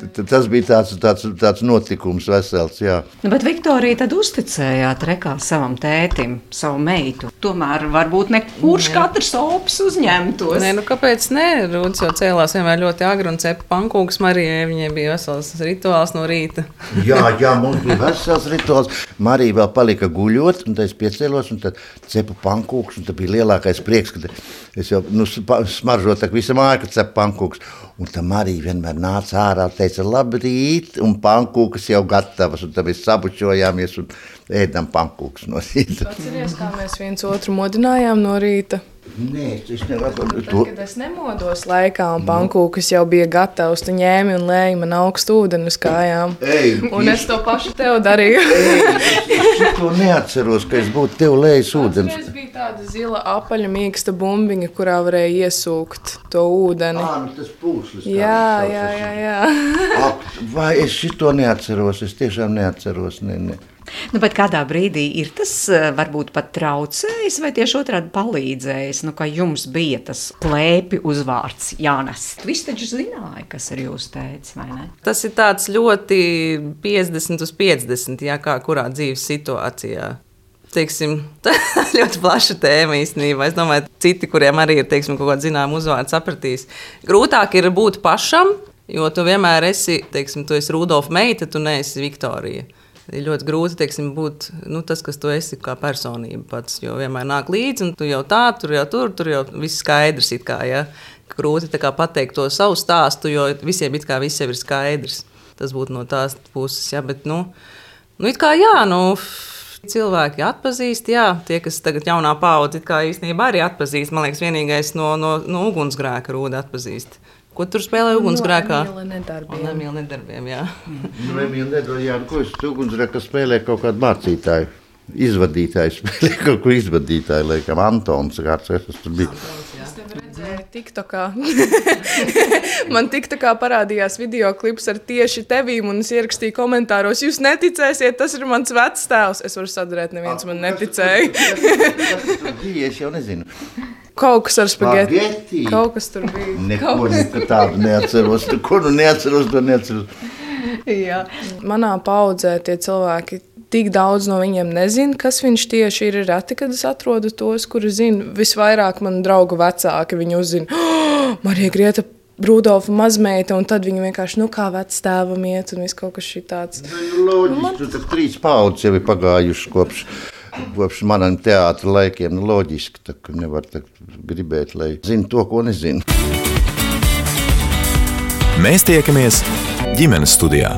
Tas bija tāds, tāds, tāds notikums vesels, jā. Nu, bet Viktorija tad uzticējāt rekā savam tētim, savu meitu. Tomēr varbūt ne kurš Nē. katrs opis uzņemtos. Nē, nu kāpēc ne? Rūds jau cēlās vienmēr ļoti agri un cepa pankūkas Marijai. Viņai bija vesels rituāls no rīta. Jā, jā, mums bija vesels rituāls. Marija vēl palika guļot, un tad es piecēlos, un tad cepu pankūkas, un tad bija lielākais prieks, kad es jau, nu, smaržot tak visa māja, kad cepu pankūkas. Un tā Marija vienmēr nāca ārā, teica, labrīt, un pankūkas jau gatavas, un tad mēs sabučojāmies un ēdam pankūkas no rīta. Atceries, kā mēs viens otru modinājām no rīta? Nē, es nevaru. Nu, tad, kad es nemodos laikā, un pankūkas jau bija gatavs, tu ņēmi un lēji man augstu ūdeni uz kājām. Ei, un es to pašu tev darīju. Ei, es to neatceros, ka es būtu tev lējis ūdens. Tas bija tāda zila apaļa mīksta bumbiņa, kurā varēja iesūkt to ūdeni. Ā, nu tas pūslis. Jā, jā, jā, jā. Ak, vai es šito neatceros, es tiešām neatceros, ne, ne. Nu, bet kādā brīdī ir tas varbūt pat traucējis vai tieši otrādi palīdzējis, nu, ka jums bija tas plēpi uzvārds jānes? Visi taču zināja, kas ir jūsu tētis, vai ne? Tas ir tāds ļoti piecdesmit uz piecdesmit, jā, kā kurā dzīves situācijā. Teiksim, tā ļoti plaša tēma īstenībā. Es domāju, citi, kuriem arī ir, teiksim, kaut kāda zināma uzvārda sapratīs. Grūtāk ir būt pašam, jo tu vienmēr esi, teiksim, tu esi Rudolfa meita, tu neesi Viktorija. Ir ļoti grūti, teiksim, būt nu, tas, kas tu esi kā personība pats, jo vienmēr nāk līdzi, un tu jau tā, tur jau tur, tur jau viss skaidrs it kā, ja. Grūti tā kā pateikt to savu stāstu, jo visiem it kā viss jau ir skaidrs. Tas būtu no tās puses, ja, bet, nu, nu it kā jā, nu, cilvēki atpazīst, jā, tie, kas tagad jaunā paudze it kā īstenībā arī atpazīst, man liekas, vienīgais no, no, no ugunsgrēka Rūda atpazīst. Ko tur spēlē ugunsgrēkā? No Emīla nedarbiem. No Emīla nedarbiem, jā. No Emīla nedarbiem, jā, ko es ugunsgrēkā spēlē kaut kādu mācītāju, izvadītāju, spēlē kaut ko izvadītāju, laikam, Antons, kāds es tur biju. Es tev redzēju tiktokā. Man tiktokā parādījās videoklips ar tieši tevīm, un es ierakstīju komentāros, jūs neticēsiet, tas ir mans vectēvs. Es varu sadarēt, neviens man neticēja. Tas tur bija, es jau nezinu. Kaut kas ar spageti. Spageti? Kaut kas tur bija. Neko nekā tādu neatceros. Ko nu neatceros, to neatceros. Jā. Manā paudzē tie cilvēki, tik daudz no viņiem nezina, kas viņš tieši ir. Reti, kad es atrodu tos, kuri zina. Visvairāk man draugu vecāki viņi uzzina. Oh, Marija Grieta, Rudolfa mazmeita, un tad viņi vienkārši, nu kā vectēvam iet, un viss kaut kas šī tāds. Nu, loģiski, nu, man... tu tak trīs paudzes jau ir pagājuši kopš. Kopš manam teātra laikiem, nu, loģiski, tā, ka nevar tā gribēt, lai zinu to, ko nezinu. Mēs tiekamies ģimenes studijā.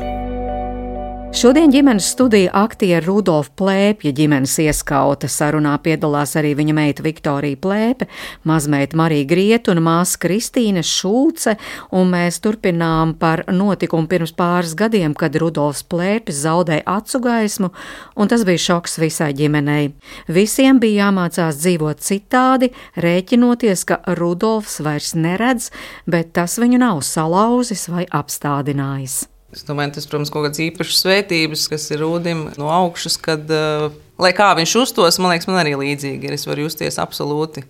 Šodien ģimenes studija aktiera Rudolfa Plēpja ģimenes ieskauta. Sarunā piedalās arī viņa meita Viktorija Plēpe, mazmeita Marija Grieta un māsa Kristīne Šulce, un mēs turpinām par notikumu pirms pāris gadiem, kad Rudolfs Plēpis zaudēja acu gaismu, un tas bija šoks visai ģimenei. Visiem bija jāmācās dzīvot citādi, rēķinoties, ka Rudolfs vairs neredz, bet tas viņu nav salauzis vai apstādinājis. Es domāju, tas, protams, kaut kādas īpašas svētības, kas ir Rūdim no augšas, kad, uh, lai kā viņš uztos, man liekas, man arī līdzīgi ir. Es varu justies absolūti,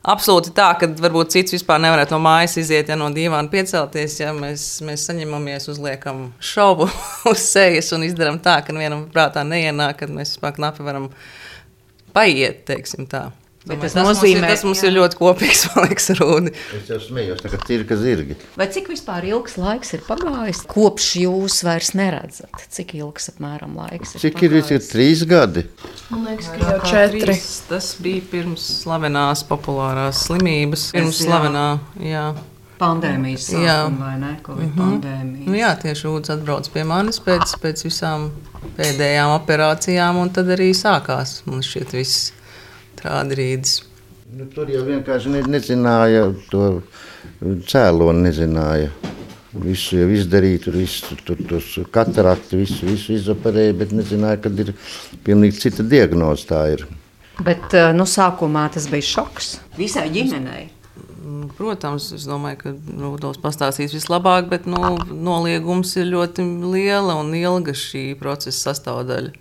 absolūti tā, ka varbūt cits vispār nevarētu no mājas iziet, ja no dīvāna piecelties, ja mēs, mēs saņemamies, uzliekam šovu uz sejas un izdaram tā, ka vienam prātā neienāk, kad mēs vispār knapi varam paiet, teiksim tā. Domāju, tas, tas, nozīmē, mums ir, tas mums jā. ir ļoti kopīgs, man liekas, Rūdi. Es jau smējos, tā kā cirka zirgi. Vai cik vispār ilgs laiks ir pagājis, kopš jūs vairs neredzat? Cik ilgs apmēram laiks ir Cik pagājis? ir, ir trīs gadi? Man liekas, ka jau četri. Tas bija pirms slavenās populārās slimības. Pirms jā. slavenā, jā. Pandēmijas sākuma, vai ne? Covid mm-hmm. pandēmijas. Nu jā, tieši Rūds atbrauc pie manis pēc, pēc visām pēdējām operācijām, un tad arī sākās, man šķiet, viss. Trādrīdis. Nu, tur jau vienkārši ne, nezināja, to cēloni nezināja. Visu jau izdarīja, tur visu, tur tos katarakti, visu, visu izoperēja, bet nezināja, kad ir pilnīgi cita diagnoze tā ir. Bet, nu, sākumā tas bija šoks visai ģimenei. Protams, es domāju, ka Rudolfs pastāstīs vislabāk, bet, nu, noliegums ir ļoti liela un ilga šī procesa sastāvdaļa.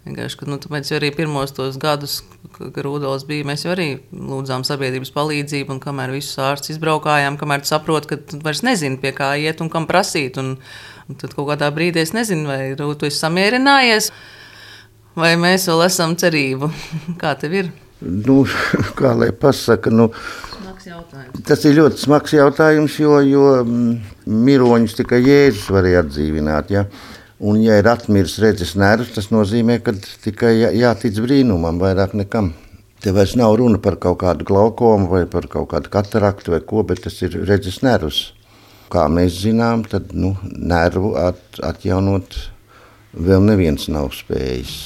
Vienkārši, ka, nu, tāpēc arī pirmos tos gadus, kad Rudolfs bija, mēs jau arī lūdzām sabiedrības palīdzību, un kamēr visus ārstus izbraukājām, kamēr tu saproti, ka tu vairs nezini, pie kā iet un kam prasīt, un, un tad kaut kādā brīdī es nezinu, vai Rūd, tu esi samierinājies, vai mēs vēl esam cerību. Kā tev ir? Nu, kā lai pasaka, nu, smags jautājums. Tas ir ļoti smags jautājums, jo, jo miroņus tikai Jēzus varēja atdzīvināt, ja? Un, ja ir atmiris redzes nervs, tas nozīmē, ka tikai jā, jātic brīnumam, vairāk nekam. Te vairs nav runa par kaut kādu glaukomu vai par kaut kādu kataraktu vai ko, bet tas ir redzes nervs. Kā mēs zinām, tad nu, nervu at, atjaunot vēl neviens nav spējis.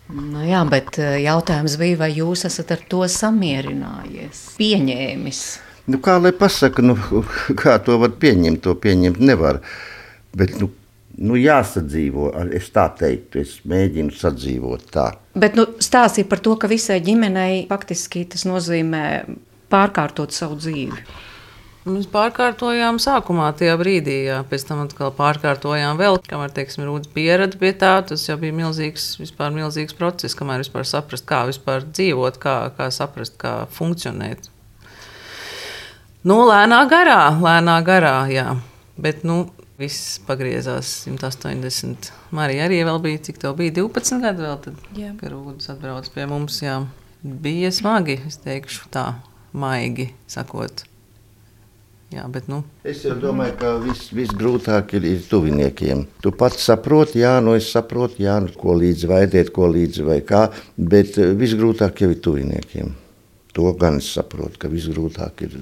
Nu jā, bet jautājums bija, vai jūs esat ar to samierinājies, pieņēmis? Nu, kā lai pasaka, nu, kā to var pieņemt, to pieņemt nevar. Bet, nu, Nu, jāsadzīvo, es tā teiktu, es mēģinu sadzīvot tā. Bet nu, stāstīja par to, ka visai ģimenei faktiski tas nozīmē pārkārtot savu dzīvi. Mēs pārkārtojām sākumā tajā brīdī, jā. Pēc tam atkal pārkārtojām vēl, kamēr, teiksim, Rūds pierada pie tā, tas jau bija milzīgs, vispār milzīgs process, kamēr vispār saprast, kā vispār dzīvot, kā, kā saprast, kā funkcionēt. Nu, lēnā garā, lēnā garā, jā, bet, nu, viss pagriezās simt astoņdesmit. Marija arī vēl bija, cik tev bija, divpadsmit gadi vēl tad, jā. Kad Rūdis atbrauc pie mums, jā. Bija smagi, es teikšu tā, maigi sakot. Jā, bet nu. Es jau domāju, ka viss vis grūtāk ir, ir tuviniekiem. Tu pats saproti, jā, nu es saprotu, jā, nu, ko līdzi vaidēt, ko līdzi vai kā, bet viss grūtāk jau ir tuviniekiem. To gan es saprotu, ka viss grūtāk ir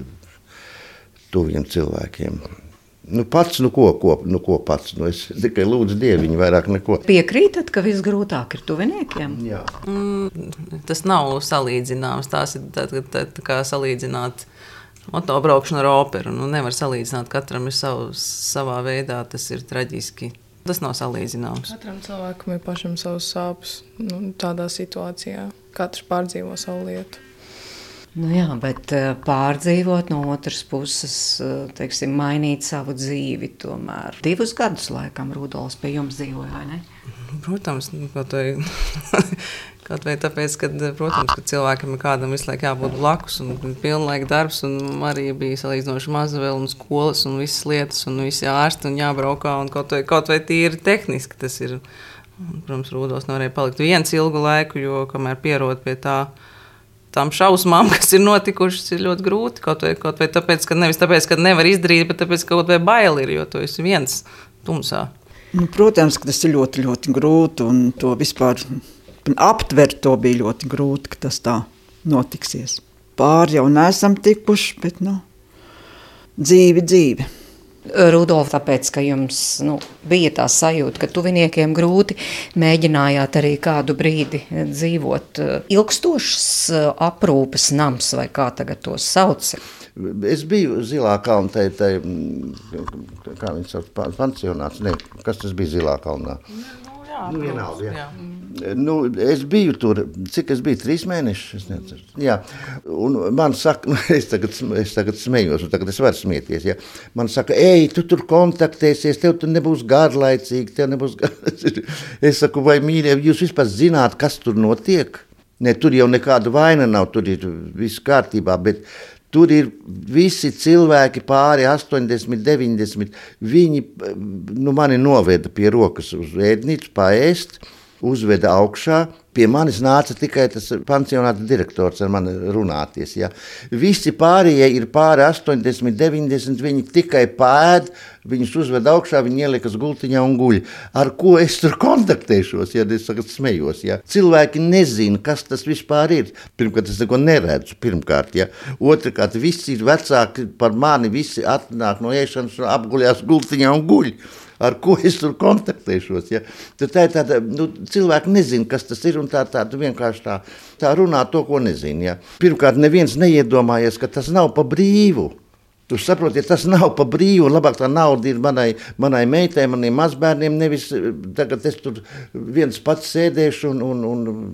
tuviem cilvēkiem. Nu, pats, nu ko, ko, nu ko pats, nu es tikai lūdzu Dieviņu, vairāk neko. Piekrītat, ka viss grūtāk ir tuviniekiem? Jā. Mm, tas nav salīdzināms, tās ir tā, tā, tā kā salīdzināt motobraukšanu ar operu. Nu, nevar salīdzināt, katram ir savu, savā veidā, tas ir traģiski. Tas nav salīdzināms. Katram cilvēkam ir pašam savs sāpes, nu, tādā situācijā. Katrs pārdzīvo savu lietu. Nu jā, bet pārdzīvot no otras puses, teiksim, mainīt savu dzīvi tomēr. Divus gadus laikam Rudolfs pie jums dzīvoja, vai ne? Protams, kaut vai, kaut vai tāpēc, ka, protams, ka cilvēkam ir kādam visu laiku jābūt blakus un pilnlaika darbs, un Marija bija salīdzinoši maza vēl un skolas un visas lietas un visi ārsti un jābraukā un kaut vai, kaut vai tīri tehniski tas ir. Protams, Rudolfs nevarēja palikt viens ilgu laiku, jo kamēr pierod pie tā, tām šausmām, kas ir notikušas, ir ļoti grūti. Kaut vai, kaut vai tāpēc, ka nevis tāpēc, ka nevar izdarīt, bet tāpēc, ka kaut vai baili ir, jo tu esi viens tumsā. Nu, protams, ka tas ir ļoti, ļoti grūti, un to vispār aptvert to bija ļoti grūti, ka tas tā notiksies. Pāri jau neesam tikuši, bet, nu, dzīvi, dzīvi. Rudolf, tāpēc, ka jums nu, bija tā sajūta, ka tuviniekiem grūti, mēģinājāt arī kādu brīdi dzīvot ilgstošs aprūpes nams, vai kā tagad to sauc? Es biju Zilā kalnā, tai, tai, kā viņi sauc, pansionāts, ne, kas tas bija Zilā kalnā? Nu, jā, nu, vienalga, jā. jā. Nu, es biju tur, cik es biju, trīs mēnešus, es neceru. Jā, un man saka, nu, es tagad, es tagad smējos, un tagad es varu smieties, jā. Man saka, ej, tu tur kontaktēsies, tev tur nebūs garlaicīgi, tev nebūs garlaicīgi. Es saku, vai mīļie, jūs vispār zināt, kas tur notiek? Ne, tur jau nekāda vaina nav, tur ir viss kārtībā, bet tur ir visi cilvēki pāri astoņdesmit, deviņdesmit, viņi, nu, mani noveda pie rokas uz ēdnīcu, paēst, uzveda augšā. Pie manis nāca tikai tas pansionāta direktors ar mani runāties. Ja. Visi pārējie ir pāri astoņdesmit, deviņdesmit, viņi tikai pēd, viņus uzveda augšā, viņi ielikas gultiņā un guļ. Ar ko es tur kontaktēšos, ja es tagad smējos. Ja. Cilvēki nezina, kas tas vispār ir. Pirmkārt, es neko neredzu, pirmkārt. Ja. Otrkārt, visi ir vecāki par mani, visi atnāk no ēšanas, apguļās gultiņā un guļ. Ar ko es tur kontaktēšos. Ja? Tad tā ir tāda, nu, cilvēki nezina, kas tas ir, un tā, tā vienkārši tā, tā runā to, ko nezina. Ja? Pirmkārt, neviens neiedomājies, ka tas nav pa brīvu. Tu saproti, ja tas nav pa brīvu, un labāk tā nauda ir manai, manai meitai, maniem mazbērniem, nevis tagad es tur viens pats sēdēšu, un, un, un,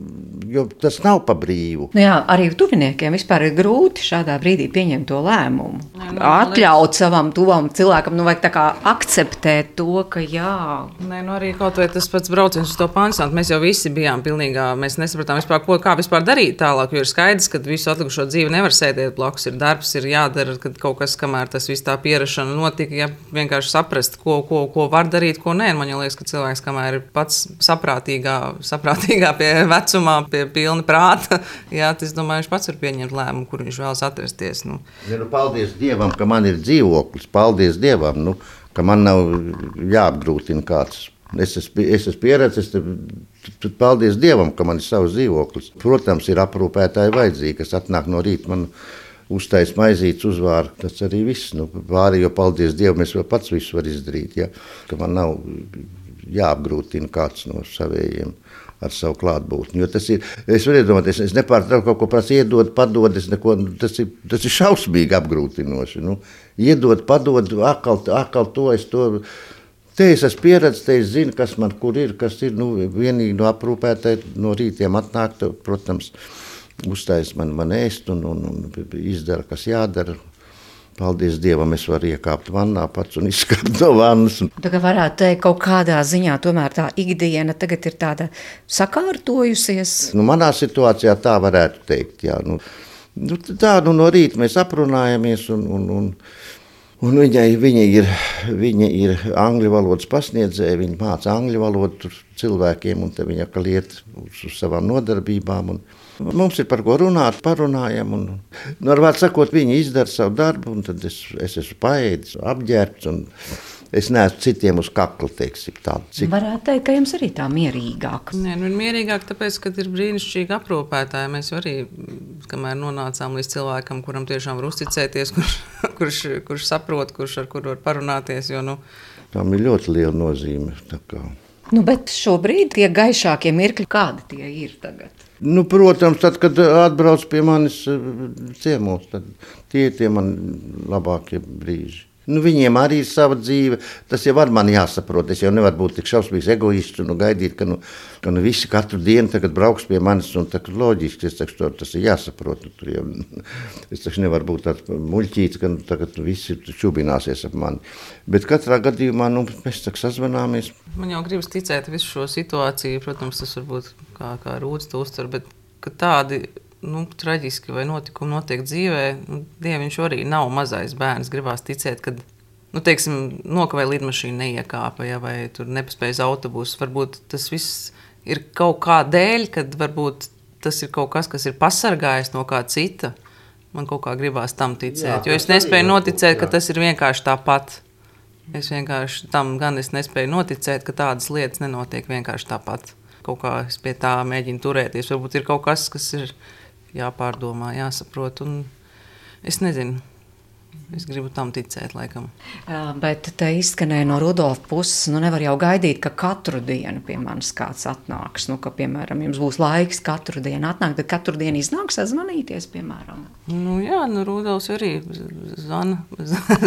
jo tas nav pa brīvu. Nu jā, arī tuviniekiem vispār ir grūti šādā brīdī pieņemt to lēmumu. Nē, nu, atļaut savam tuvam cilvēkam, nu vajag tā kā akceptēt to, ka jā. Nē, nu arī kaut vai tas pats brauciens uz to pansionātu, mēs jau visi bijām pilnīgā, mēs nesapratām vispār, ko, kā vispār darīt tālāk, jo ir skaidrs, ka visu atlikušo dzīvi nevar sēdēt blakus, ir darbs, ir jādara, kad kaut kas, kamēr tas viss tā pierašana notika, ja vienkārši saprast, ko, ko, ko var darīt, ko nē. Man liekas, ka cilvēks, kamēr ir pats saprātīgā, saprātīgā pie vecumā, pie pilna prāta, jā, tas, domāju, viņš pats var pieņemt lēmumu, kur viņš vēlas atrasties. Nu. Ja, nu, paldies Dievam, ka man ir dzīvoklis, paldies Dievam, nu, ka man nav jāapgrūtina kāds. Es esmu, es esmu pieredzis, tad paldies Dievam, ka man ir savs dzīvoklis. Protams, ir aprūpētāji vajadzīgi, kas atnāk no rīta man uztais maizītes uzvāra, tas arī viss. Nu, pārējo, paldies Dievam, es vēl pats visu varu izdarīt, ja? Ka man nav jāapgrūtina kāds no savējiem ar savu klātbūtni. Jo tas ir, es varu iedomāties, es nepārtraucu kaut ko prasu, iedod, padod, es neko, tas ir, tas ir šausmīgi apgrūtinoši. Nu, iedod, padod, akal, akal to, es to, te es esmu pieredzis, te es zinu, kas man kur ir, kas ir, nu, vienīgi no aprūpētāji no rītiem atnāk, tev, protams, uztais man, man ēst un, un, un izdara, kas jādara. Paldies Dievam, es varu iekāpt vannā pats un izskāpt no vannas. Tā kā varētu teikt, kaut kādā ziņā tomēr tā ikdiena tagad ir tāda sakārtojusies. Nu, manā situācijā tā varētu teikt, jā. Nu, nu, tā, nu, no rīta mēs aprunājamies un, un, un, un viņai, viņa, ir, viņa ir angļu valodas pasniedzēja, viņa māca angļu valodu tur cilvēkiem un te viņa kaliet uz, uz savām nodarbībām. Un, mums ir par ko runāt, parunājam, un, nu, ar vārdu sakot, viņi izdara savu darbu, un tad es, es esmu paēdis, apģērbts, un es neesmu citiem uz kakla, teiksim, tādu. Cik... Varētu teikt, ka jums arī tā mierīgāk. Nē, nu ir mierīgāk, tāpēc, ka ir brīnišķīgi aprūpētāji. Mēs arī, kamēr nonācām līdz cilvēkam, kuram tiešām var uzticēties, kurš, kurš, kurš saprot, kurš ar kuru var parunāties, jo, nu... Tām ir ļoti liela nozīme, tā kā... Nu, bet šobrīd tie gaišākie mirkļi, kādi tie ir tagad? Nu, protams, tad, kad atbrauc pie manis ciemos, tad tie ir tie man labākie brīži. Nu, viņiem arī ir sava dzīve, tas jau var man jāsaprot, es jau nevaru būt tik šausmīgs egoists un gaidīt, ka, nu, ka nu visi katru dienu tagad brauks pie manis un tā, loģiski, es teikšu, tas ir jāsaprot. Tur jau, es teikšu, nevaru būt tāds muļķīts, ka nu, tagad visi čubināsies ap mani. Bet katrā gadījumā, nu, mēs tak sazvanāmies. Man jau gribas ticēt visu šo situāciju, protams, tas varbūt kā, kā Rūds to uztver, bet ka tādi... Nu, traģiski vai notikumi notiek dzīvē, nu, Dieviņš arī nav mazais bērns. Gribās ticēt, ka, nu, teiksim, nokavē lidmašīna neiekāpa, ja, vai tur nepaspējas autobusu. Varbūt tas viss ir kaut kā dēļ, kad varbūt tas ir kaut kas, kas ir pasargājis no kā cita. Man kaut kā gribās tam ticēt, jā, jo es nespēju noticēt, ka tas ir vienkārši tāpat. Es vienkārši tam gan es nespēju noticēt, ka tādas lietas nenotiek vienkārši tāpat. Kaut kā es pie tā mēģinu turēties. Varbūt ir kaut kas, kas ir jāpārdomā, jāsaprot, un es nezinu. Es gribu tam ticēt, laikam. Bet te izskanēja no Rudolfa puses, nu nevar jau gaidīt, ka katru dienu pie manis kāds atnāks. Nu, ka, piemēram, jums būs laiks katru dienu atnākt, tad katru dienu iznāks sazvanīties, piemēram. Nu jā, nu Rudolfs arī zvana,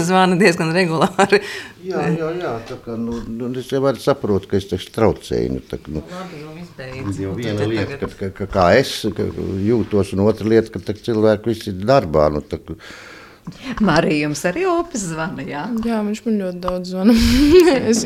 zvana diezgan regulāri. Jā, jā, jā, tā kā, nu, nu es jau arī saprotu, ka es taču traucēju. Nu, tā, nu, Labi, jau izbeidz. jau viena lieta, ka, ka, ka, kā es ka jūtos, un otra lieta, ka cilvēki visi ir darbā. Nu, tā, Marija, jums arī opis zvana, jā? Jā, viņš man ļoti daudz zvana. es...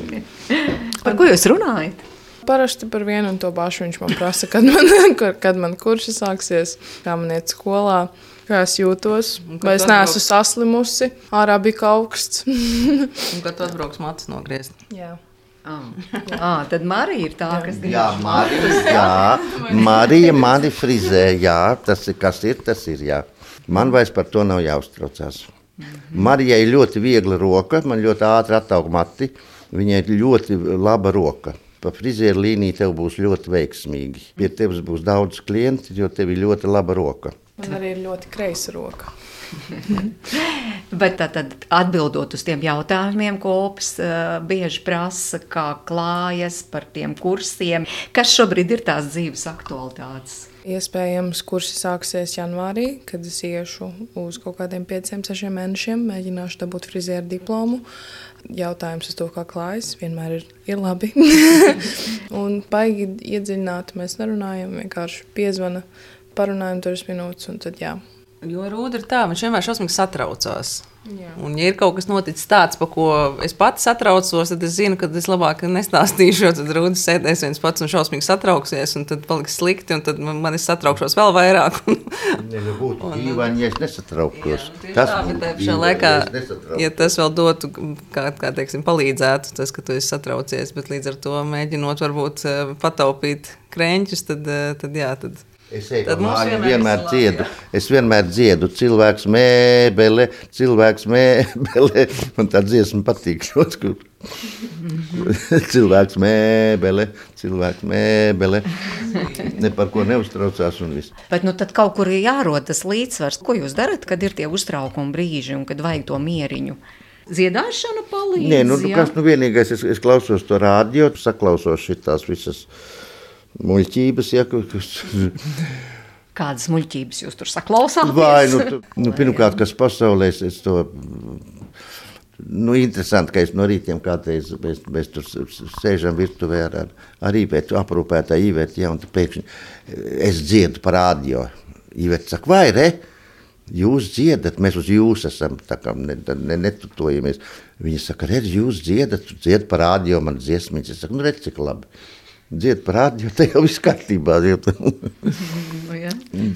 Par ko jūs runājat? Parasti par vienu un to pašu viņš man prasa, kad man, kad man kurši sāksies, kā man iet skolā, kā es jūtos, vai es neesmu saslimusi, ārā bija augsts. Un kad tu atbrauks matus nogriezt. Jā. Ah. ah, tad Marija ir tā, kas grib. jā, Marija, jā, Marija mani frizē, jā, tas ir, kas ir, tas ir, jā. Man vairs par to nav jāuztraucās. Marijai ir ļoti viegla roka, man ļoti ātri attaug mati, viņai ir ļoti laba roka. Pa frizieru līniju tev būs ļoti veiksmīgi. Pie tevis būs daudz klienti, jo tev ir ļoti laba roka. Man arī ir ļoti kreisa roka. Bet tā tad atbildot uz tiem jautājumiem, ko opis uh, bieži prasa, kā klājas par tiem kursiem, kas šobrīd ir tās dzīves aktualitātes? Iespējams, kursi sāksies janvārī, kad es iešu uz kaut kādiem pieciem, sešiem mēnešiem, mēģināšu dabūt frizieru diplomu. Jautājums uz to, kā klājas, vienmēr ir, ir labi. Un baigi iedziļināt, mēs nerunājam, vienkārši piezvana, parunājam dažas minūtes un tad jā. Jo Rūda ir tā, viņš vienmēr šausmīgi satraucās. Jā. Un, ja ir kaut kas noticis tāds, par ko es pati satraucos, tad es zinu, ka es labāk nestāstīšu, jo tad Rūda sēdēs viens pats un šausmīgi satrauksies, un tad paliks slikti, un tad man es satraukšos vēl vairāk. Nebūtu dīvaini, ja es nesatrauktos. Jā, tas tā, bet tajā laikā, ja tas vēl dotu, kā, kā teiksim, palīdzētu, tas, ka tu esi satraucies, bet līdz ar to mēģinot varbūt pataupīt krēņķus, tad, tad jā, tad... Es eju pa māju, vienmēr dziedu, es vienmēr dziedu, cilvēks mēbele, cilvēks mēbele, man tā dziesma patīk, kur cilvēks mēbele, cilvēks mēbele, ne par ko neuztraucās un viss. Bet nu tad kaut kur ir jārod tas līdzsvars. Ko jūs darat, kad ir tie uztraukumi brīži un kad vajag to mieriņu? Dziedāšana palīdz, Nē, nu, kas nu vienīgais, es, es klausos to rādio, saklausos šitās visas muļķības, ja, kas... Kādas muļķības jūs tur saklausāties? Vai, nu, tu, nu pirmkārt, kas pasaulē, es to, nu, interesanti, ka es no rītiem kādreiz, mēs, mēs tur sēžam virtuvē ar, ar, ar Īvetu, aprūpētā Īvetu, ja, un tu pēkšņi, es dziedu par rādio. Īveta saka, vai, re? Jūs dziedat, mēs uz jūs esam, tā kā ne, ne, netutojamies. Viņa saka, redz, jūs dziedat, tu dzied par rādio, man dziesmiņas. Es saku, nu, redz, cik labi. Dzied par rādio, te jau viss kārtībā.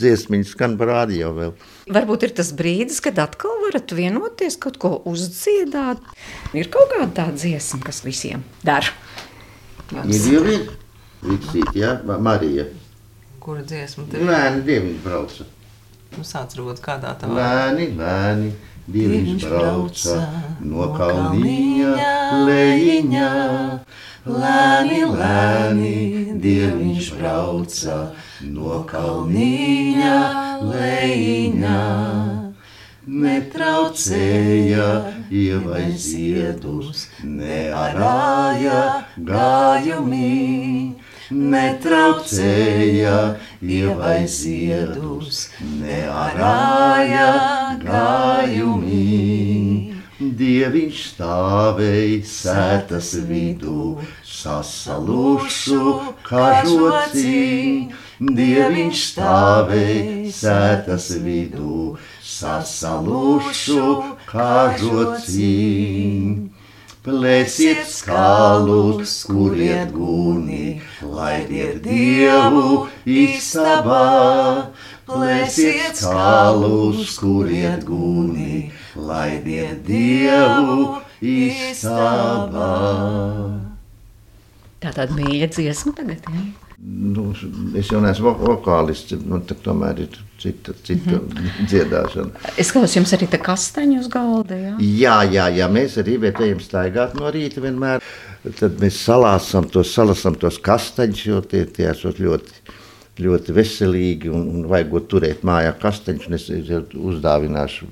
Dziesmiņas skan par rādio vēl. Varbūt ir tas brīdis, kad atkal varat vienoties, kaut ko uzdziedāt. Ir kaut kāda tā dziesma, kas visiem dara. Ir jau ir, Viksīt, jā, Marija. Kura dziesma tev? Lēni, dieviņš brauca. Nu, sāc Rūda, kādā tavā? Lēni, lēni, dieviņš brauca no kalniņa lejiņā. Lēni, lēni, dieviņš brauca no kalniņa lejiņā. Netraucēja ievai ziedus, nearāja gājumī. Netraucēja ievai ziedus, nearāja gājumī. Dieviņš stāvēja sētas vidū, sasalušu kažocī. Dieviņš stāvēja sētas vidū, sasalušu kažocī. Plēsiet skalus, kuriet guni, laidiet Dievu istabā. Plēsiet skalus, kuriet guni, laidiet Dievu istabā. Tā tāda mīļa dziesma tagad, jā? Nu, es jau neesmu vokālists, nu, tomēr ir cita, cita mm-hmm. dziedāšana. Es klausu, jums arī te kastaņi uz galda, jā? Jā, jā, jā, mēs arī ejam staigāt no rīta vienmēr. Tad mēs salāsam tos, salasam tos kastaņus, jo tie, tie esot ļoti ļoti veselīgi un, un vajagot turēt mājā kasteņus, un es uzdāvināšu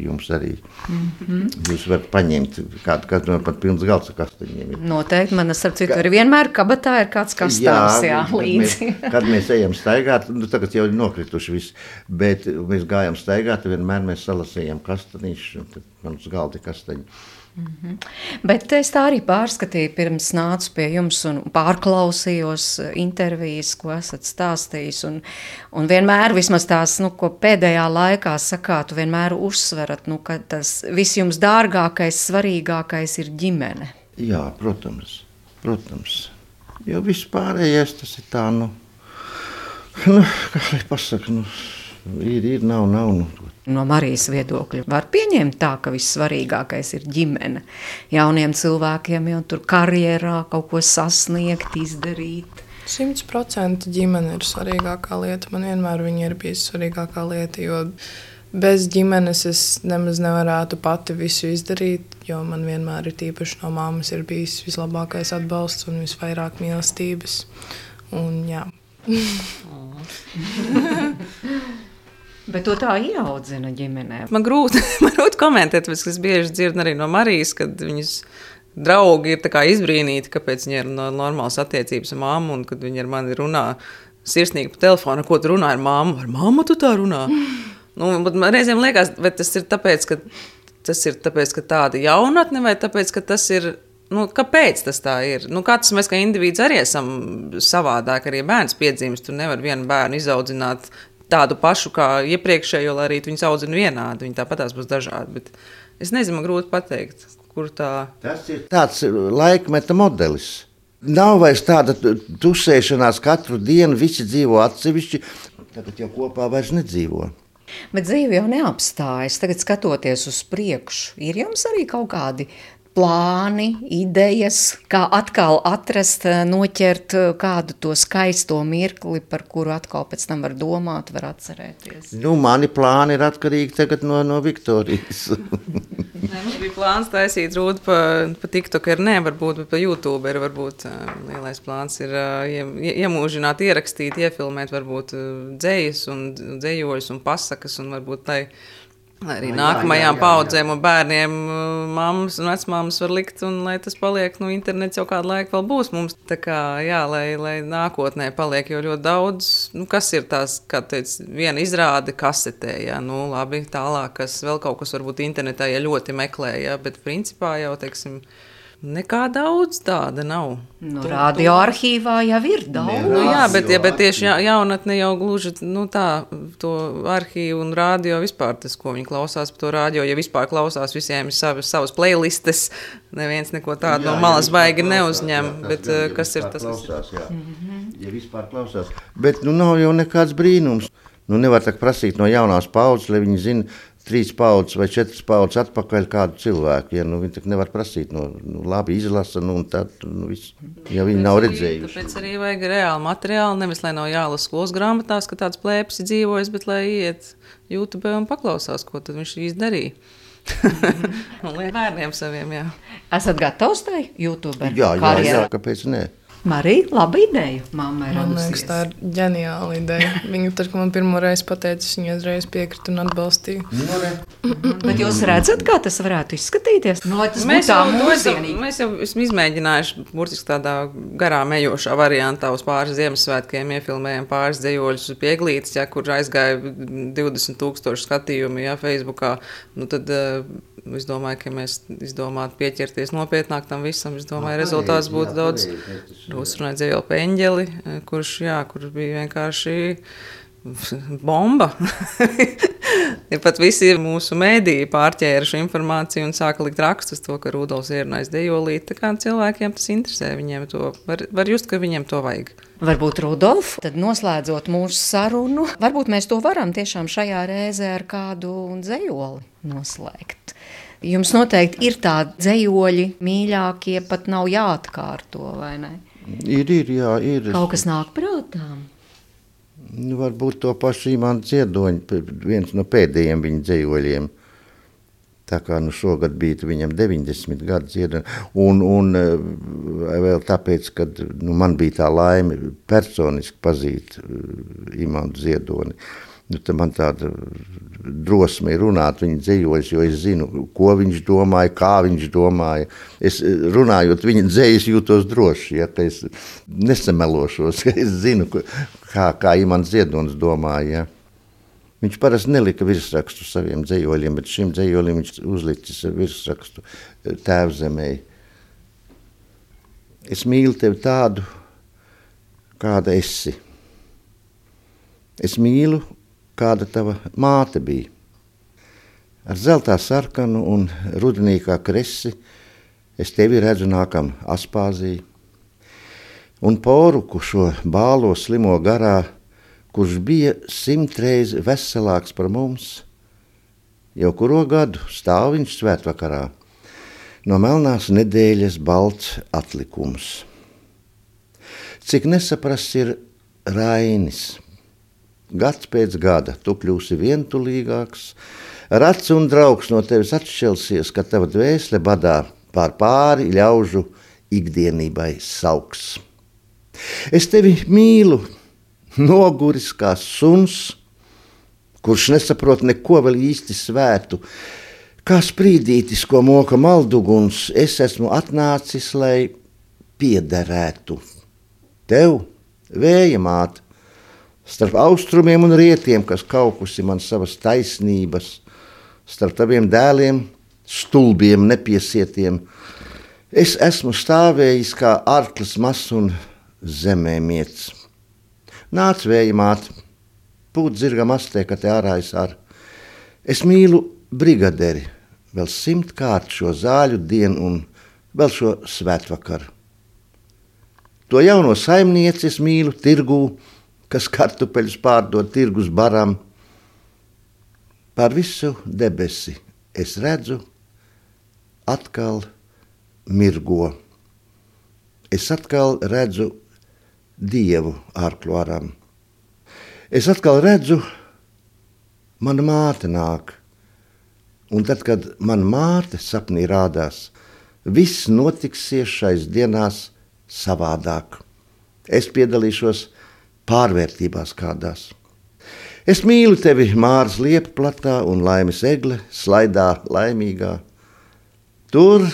jums arī. Mm-hmm. Jūs varat paņemt kādu, kādu man pat pilns galds ar kasteņiem. Ir. Noteikti, man ar citu Ka... ir vienmēr kabatā ir kāds kastāvs, jā, jā kad līdzi. Mēs, kad mēs ejam staigāt, nu tagad jau ir nokrituši viss, bet mēs gājam staigāt, vienmēr mēs salasējam kastanīšus, un tad man uz galdi kasteņi. Mm-hmm. Bet es tā arī pārskatīju, pirms nācu pie jums un pārklausījos intervijas, ko esat stāstījis. Un, un vienmēr, vismaz tās, nu, ko pēdējā laikā sakāt, vienmēr uzsverat, nu, ka tas viss jums dārgākais, svarīgākais ir ģimene. Jā, protams, protams. Jo viss pārējais tas ir tā, nu, nu kā lai pasaka, nu, ir, ir, nav, nav, nu. No Marijas viedokļa var pieņemt tā, ka vissvarīgākais ir ģimene. Jauniem cilvēkiem jau tur karjerā kaut ko sasniegt, izdarīt. Simts procenti ģimene ir svarīgākā lieta. Man vienmēr viņa ir bijusi svarīgākā lieta, jo bez ģimenes es nemaz nevarētu pati visu izdarīt, jo man vienmēr ir tīpaši no mammas ir bijis vislabākais atbalsts un visvairāk mīlestības. Un jā. Bet to tā ieaudzina ģimenē. Man grūti, man grūti komentēt, bet es bieži dzirdu arī no Marijas, kad viņas draugi ir tā kā izbrīnīti, kāpēc viņi ir no normālas attiecības ar mammu, un kad viņi ar mani runā sirsnīgi pa telefonu, ko tu runā ar mammu, ar mammu tu tā runā. Nu, man reizēm liekas, vai tas ir tāpēc, ka tas ir tāpēc, ka tāda jaunatne, vai tāpēc, ka tas ir, nu, kāpēc tas tā ir? Nu, katrs mēs kā indivīds arī esam savādāk, arī bērns piedzimst, tu nevar vienu bērnu izaudzināt tādu pašu kā iepriekšējo, lai arī viņus audzina vienādi. Viņi tāpatās būs dažādi. Bet es nezinu, man grūti pateikt, kur tā... Tas ir tāds laikmeta modelis. Nav vairs tāda tusēšanās katru dienu, visi dzīvo atsevišķi, tagad jau kopā vairs nedzīvo. Bet dzīve jau neapstājas. Tagad skatoties uz priekšu, ir jums arī kaut kādi plāni, idejas, kā atkal atrast, noķert kādu to skaisto mirkli, par kuru atkal pēc tam var domāt, var atcerēties? Nu, mani plāni ir atkarīgi tagad no, no Viktorijas. Nē, mums bija plāns taisīt rūdu pa, pa TikTokeru, ne, varbūt, bet pa YouTuberu, varbūt lielais plāns ir iemūžināt, ierakstīt, iefilmēt, varbūt dzejas un dzejoļus un pasakas, un varbūt tai arī nākamajām paudzēm un bērniem mammas un vecmāmas var likt, un lai tas paliek, nu, internets jau kādu laiku vēl būs mums. Tā kā, jā, lai, lai nākotnē paliek jau ļoti daudz, nu, kas ir tās, kā teic, viena izrāde kasetē, jā, nu, labi, tālāk, kas vēl kaut kas varbūt internetā, ja ļoti meklē, jā, bet principā jau, teiksim, nekā daudz tāda nav. Nu, radio arhīvā jau ir daudz. Nu, jā, bet, ja, bet tieši ja, jaunatne jau gluži, nu tā, to arhīvu un radio vispār tas, ko viņi klausās par to radio, ja vispār klausās, visiem ir savas, savas playlistes, neviens neko tādu jā, no malas ja baigi neuzņem, klausās, bet ja kas ir tas? Klausās, jā. Mm-hmm. Ja vispār klausās, bet nu nav jau nekāds brīnums. Nu nevar tā prasīt no jaunās paudzes, lai viņi zina, trīs paudzes vai četras paudzes atpakaļ kādu cilvēku. Ja, nu, viņi tak nevar prasīt, nu, nu labi izlasa, nu, un tad, nu, viss, ja viņi nav redzējuši. Tāpēc arī vajag reāli materiāli, nevis, lai nav jālas skolas grāmatās, ka tāds plēpis ir dzīvojis, bet lai iet YouTube un paklausās, ko tad viņš izdarīja. Un liek bērniem saviem, jā. Esat gatavs tai YouTube jā, jā, jā, kāpēc ne? Marija, laba ideja, mamma ir Man liekas, tā ir ģeniāla ideja. Viņa tad, kad man pirmo reizi pateica, viņa uzreiz piekrita un atbalstīja. Mm-hmm. Bet jūs redzat, kā tas varētu izskatīties? No, tas mēs, jau, mūzienīgi. mēs jau esam izmēģinājuši burtiski tādā garām ejošā variantā uz pāris Ziemassvētkiem, iefilmējam pāris dzejoļus pie Eglītes, ja, kur aizgāja divdesmit tūkstoši skatījumi, ja, Facebookā. Nu, tad es domāju, ka mēs izdomātu pieķerties nopietnāk tam visam. Es domāju, rezultāts būtu daudz. Uzrunāja Dzējoļu Peņģeli, kurš, jā, kurš bija vienkārši bomba. Ja pat visi mūsu mēdīji pārķēra šo informāciju un sāka likt rakstus to, ka Rudolfs ierunājis dejolīt. Tā kā cilvēkiem tas interesē, viņiem to, var, var just, ka viņiem to vajag. Varbūt Rudolf, tad noslēdzot mūsu sarunu, varbūt mēs to varam tiešām šajā reizē ar kādu dzejoli noslēgt. Jums noteikti ir tādi dzejoļi mīļākie, pat nav jāatkārto, vai ne? Ir, ir, jā, ir. Kaut kas nāk prātām? Nu, varbūt to pašu Imanta Ziedoņa, viens no pēdējiem viņa dzejoļiem. Tā kā nu šogad bija viņam deviņdesmit gadu dziedoni. Un, un vēl tāpēc, ka nu, man bija tā laime personiski pazīt Imantu Ziedoni. Nu, man tāda drosme ir runāt viņa dzejos, jo es zinu, ko viņš domāja, kā viņš domāja. Es runājot viņa dzejas jūtos droši, ja, ka es nesamelošos, ka es zinu, kā, kā Imants Ziedonis domāja. Ja. Viņš parasti nelika virsrakstu saviem dzejoļiem, bet šim dzejoļiem viņš uzlicis virsrakstu Tēvzemei. Es mīlu tevi tādu, kāda esi. Es mīlu, kāda tava māte bija. Ar zeltā sarkanu un rudenīgā kresi es tevi redzu nākam Aspāzī. Un poruku šo bālo slimo garā, kurš bija simtreiz veselāks par mums, jau kuro gadu stāv viņš svētvakarā, no melnās nedēļas balts atlikums. Cik nesaprasts ir Rainis. Gads pēc gada tu kļūsi vientulīgāks, rats un draugs no tevis atšķelsies, ka tava dvēsele badā pār pāri ļaužu ikdienībai sauks. Es tevi mīlu, noguris kā suns, kurš nesaprot neko vēl īsti svētu. Kā sprīdītis, ko moka malduguns, es esmu atnācis, lai piederētu. Tev, vēja māte, starp austrumiem un rietiem, kas kaukusi man savas taisnības, starp taviem dēliem, stulbiem, nepiesietiem, es esmu stāvējis kā arklis mazs un zemē miets. Nāc, vēja māte, pūt zirgam astē, ka te ārā es ar. Es mīlu brigaderi, vēl simtkārt šo zāļu dienu un vēl šo svētvakaru. To jauno saimnieci es mīlu tirgū, kas kartupeļus pārdod tirgus baram. Pār visu debesi es redzu, atkal mirgo. Es atkal redzu Dievu ārklu aram. Es atkal redzu, mana māte nāk. Un tad, kad mana māte sapnī rādās, viss notiksies šais dienās savādāk. Es piedalīšos pārvērtībās kādās. Es mīlu tevi Māras liepa platā un laimes egle slaidā laimīgā. Tur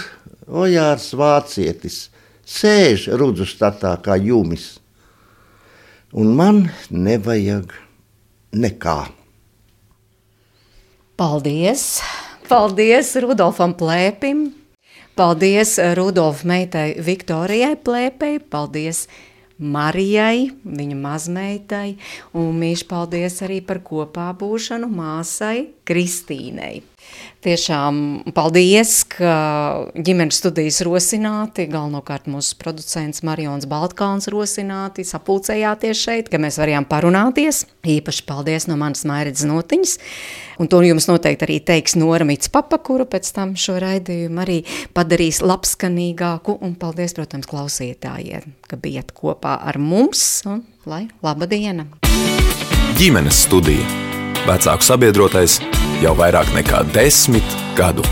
Ojārs vācietis sēž rudzu statā kā jumis. Un man nevajag nekā. Paldies! Paldies Rudolfam Plēpim! Paldies Rudolfa meitai Viktorijai Plēpei! Paldies Marijai, viņa mazmeitai! Un mīļš paldies arī par kopā būšanu māsai Kristīnei! Tiešām paldies, ka ģimenes studijas rosināti, galvenokārt mūsu producents Marions Baltkalns rosināti, sapulcējāties šeit, ka mēs varējām parunāties. Īpaši paldies no manas Mairidas Notiņas. Un to jums noteikti arī teiks Nora Mitspapa, kura pēc tam šo raidījumu arī padarīs labskanīgāku. Un paldies, protams, klausītājiem, ka bijat kopā ar mums. Un lai laba diena! Ģimenes studija. Vecāku sabiedrotais jau vairāk nekā desmit gadu.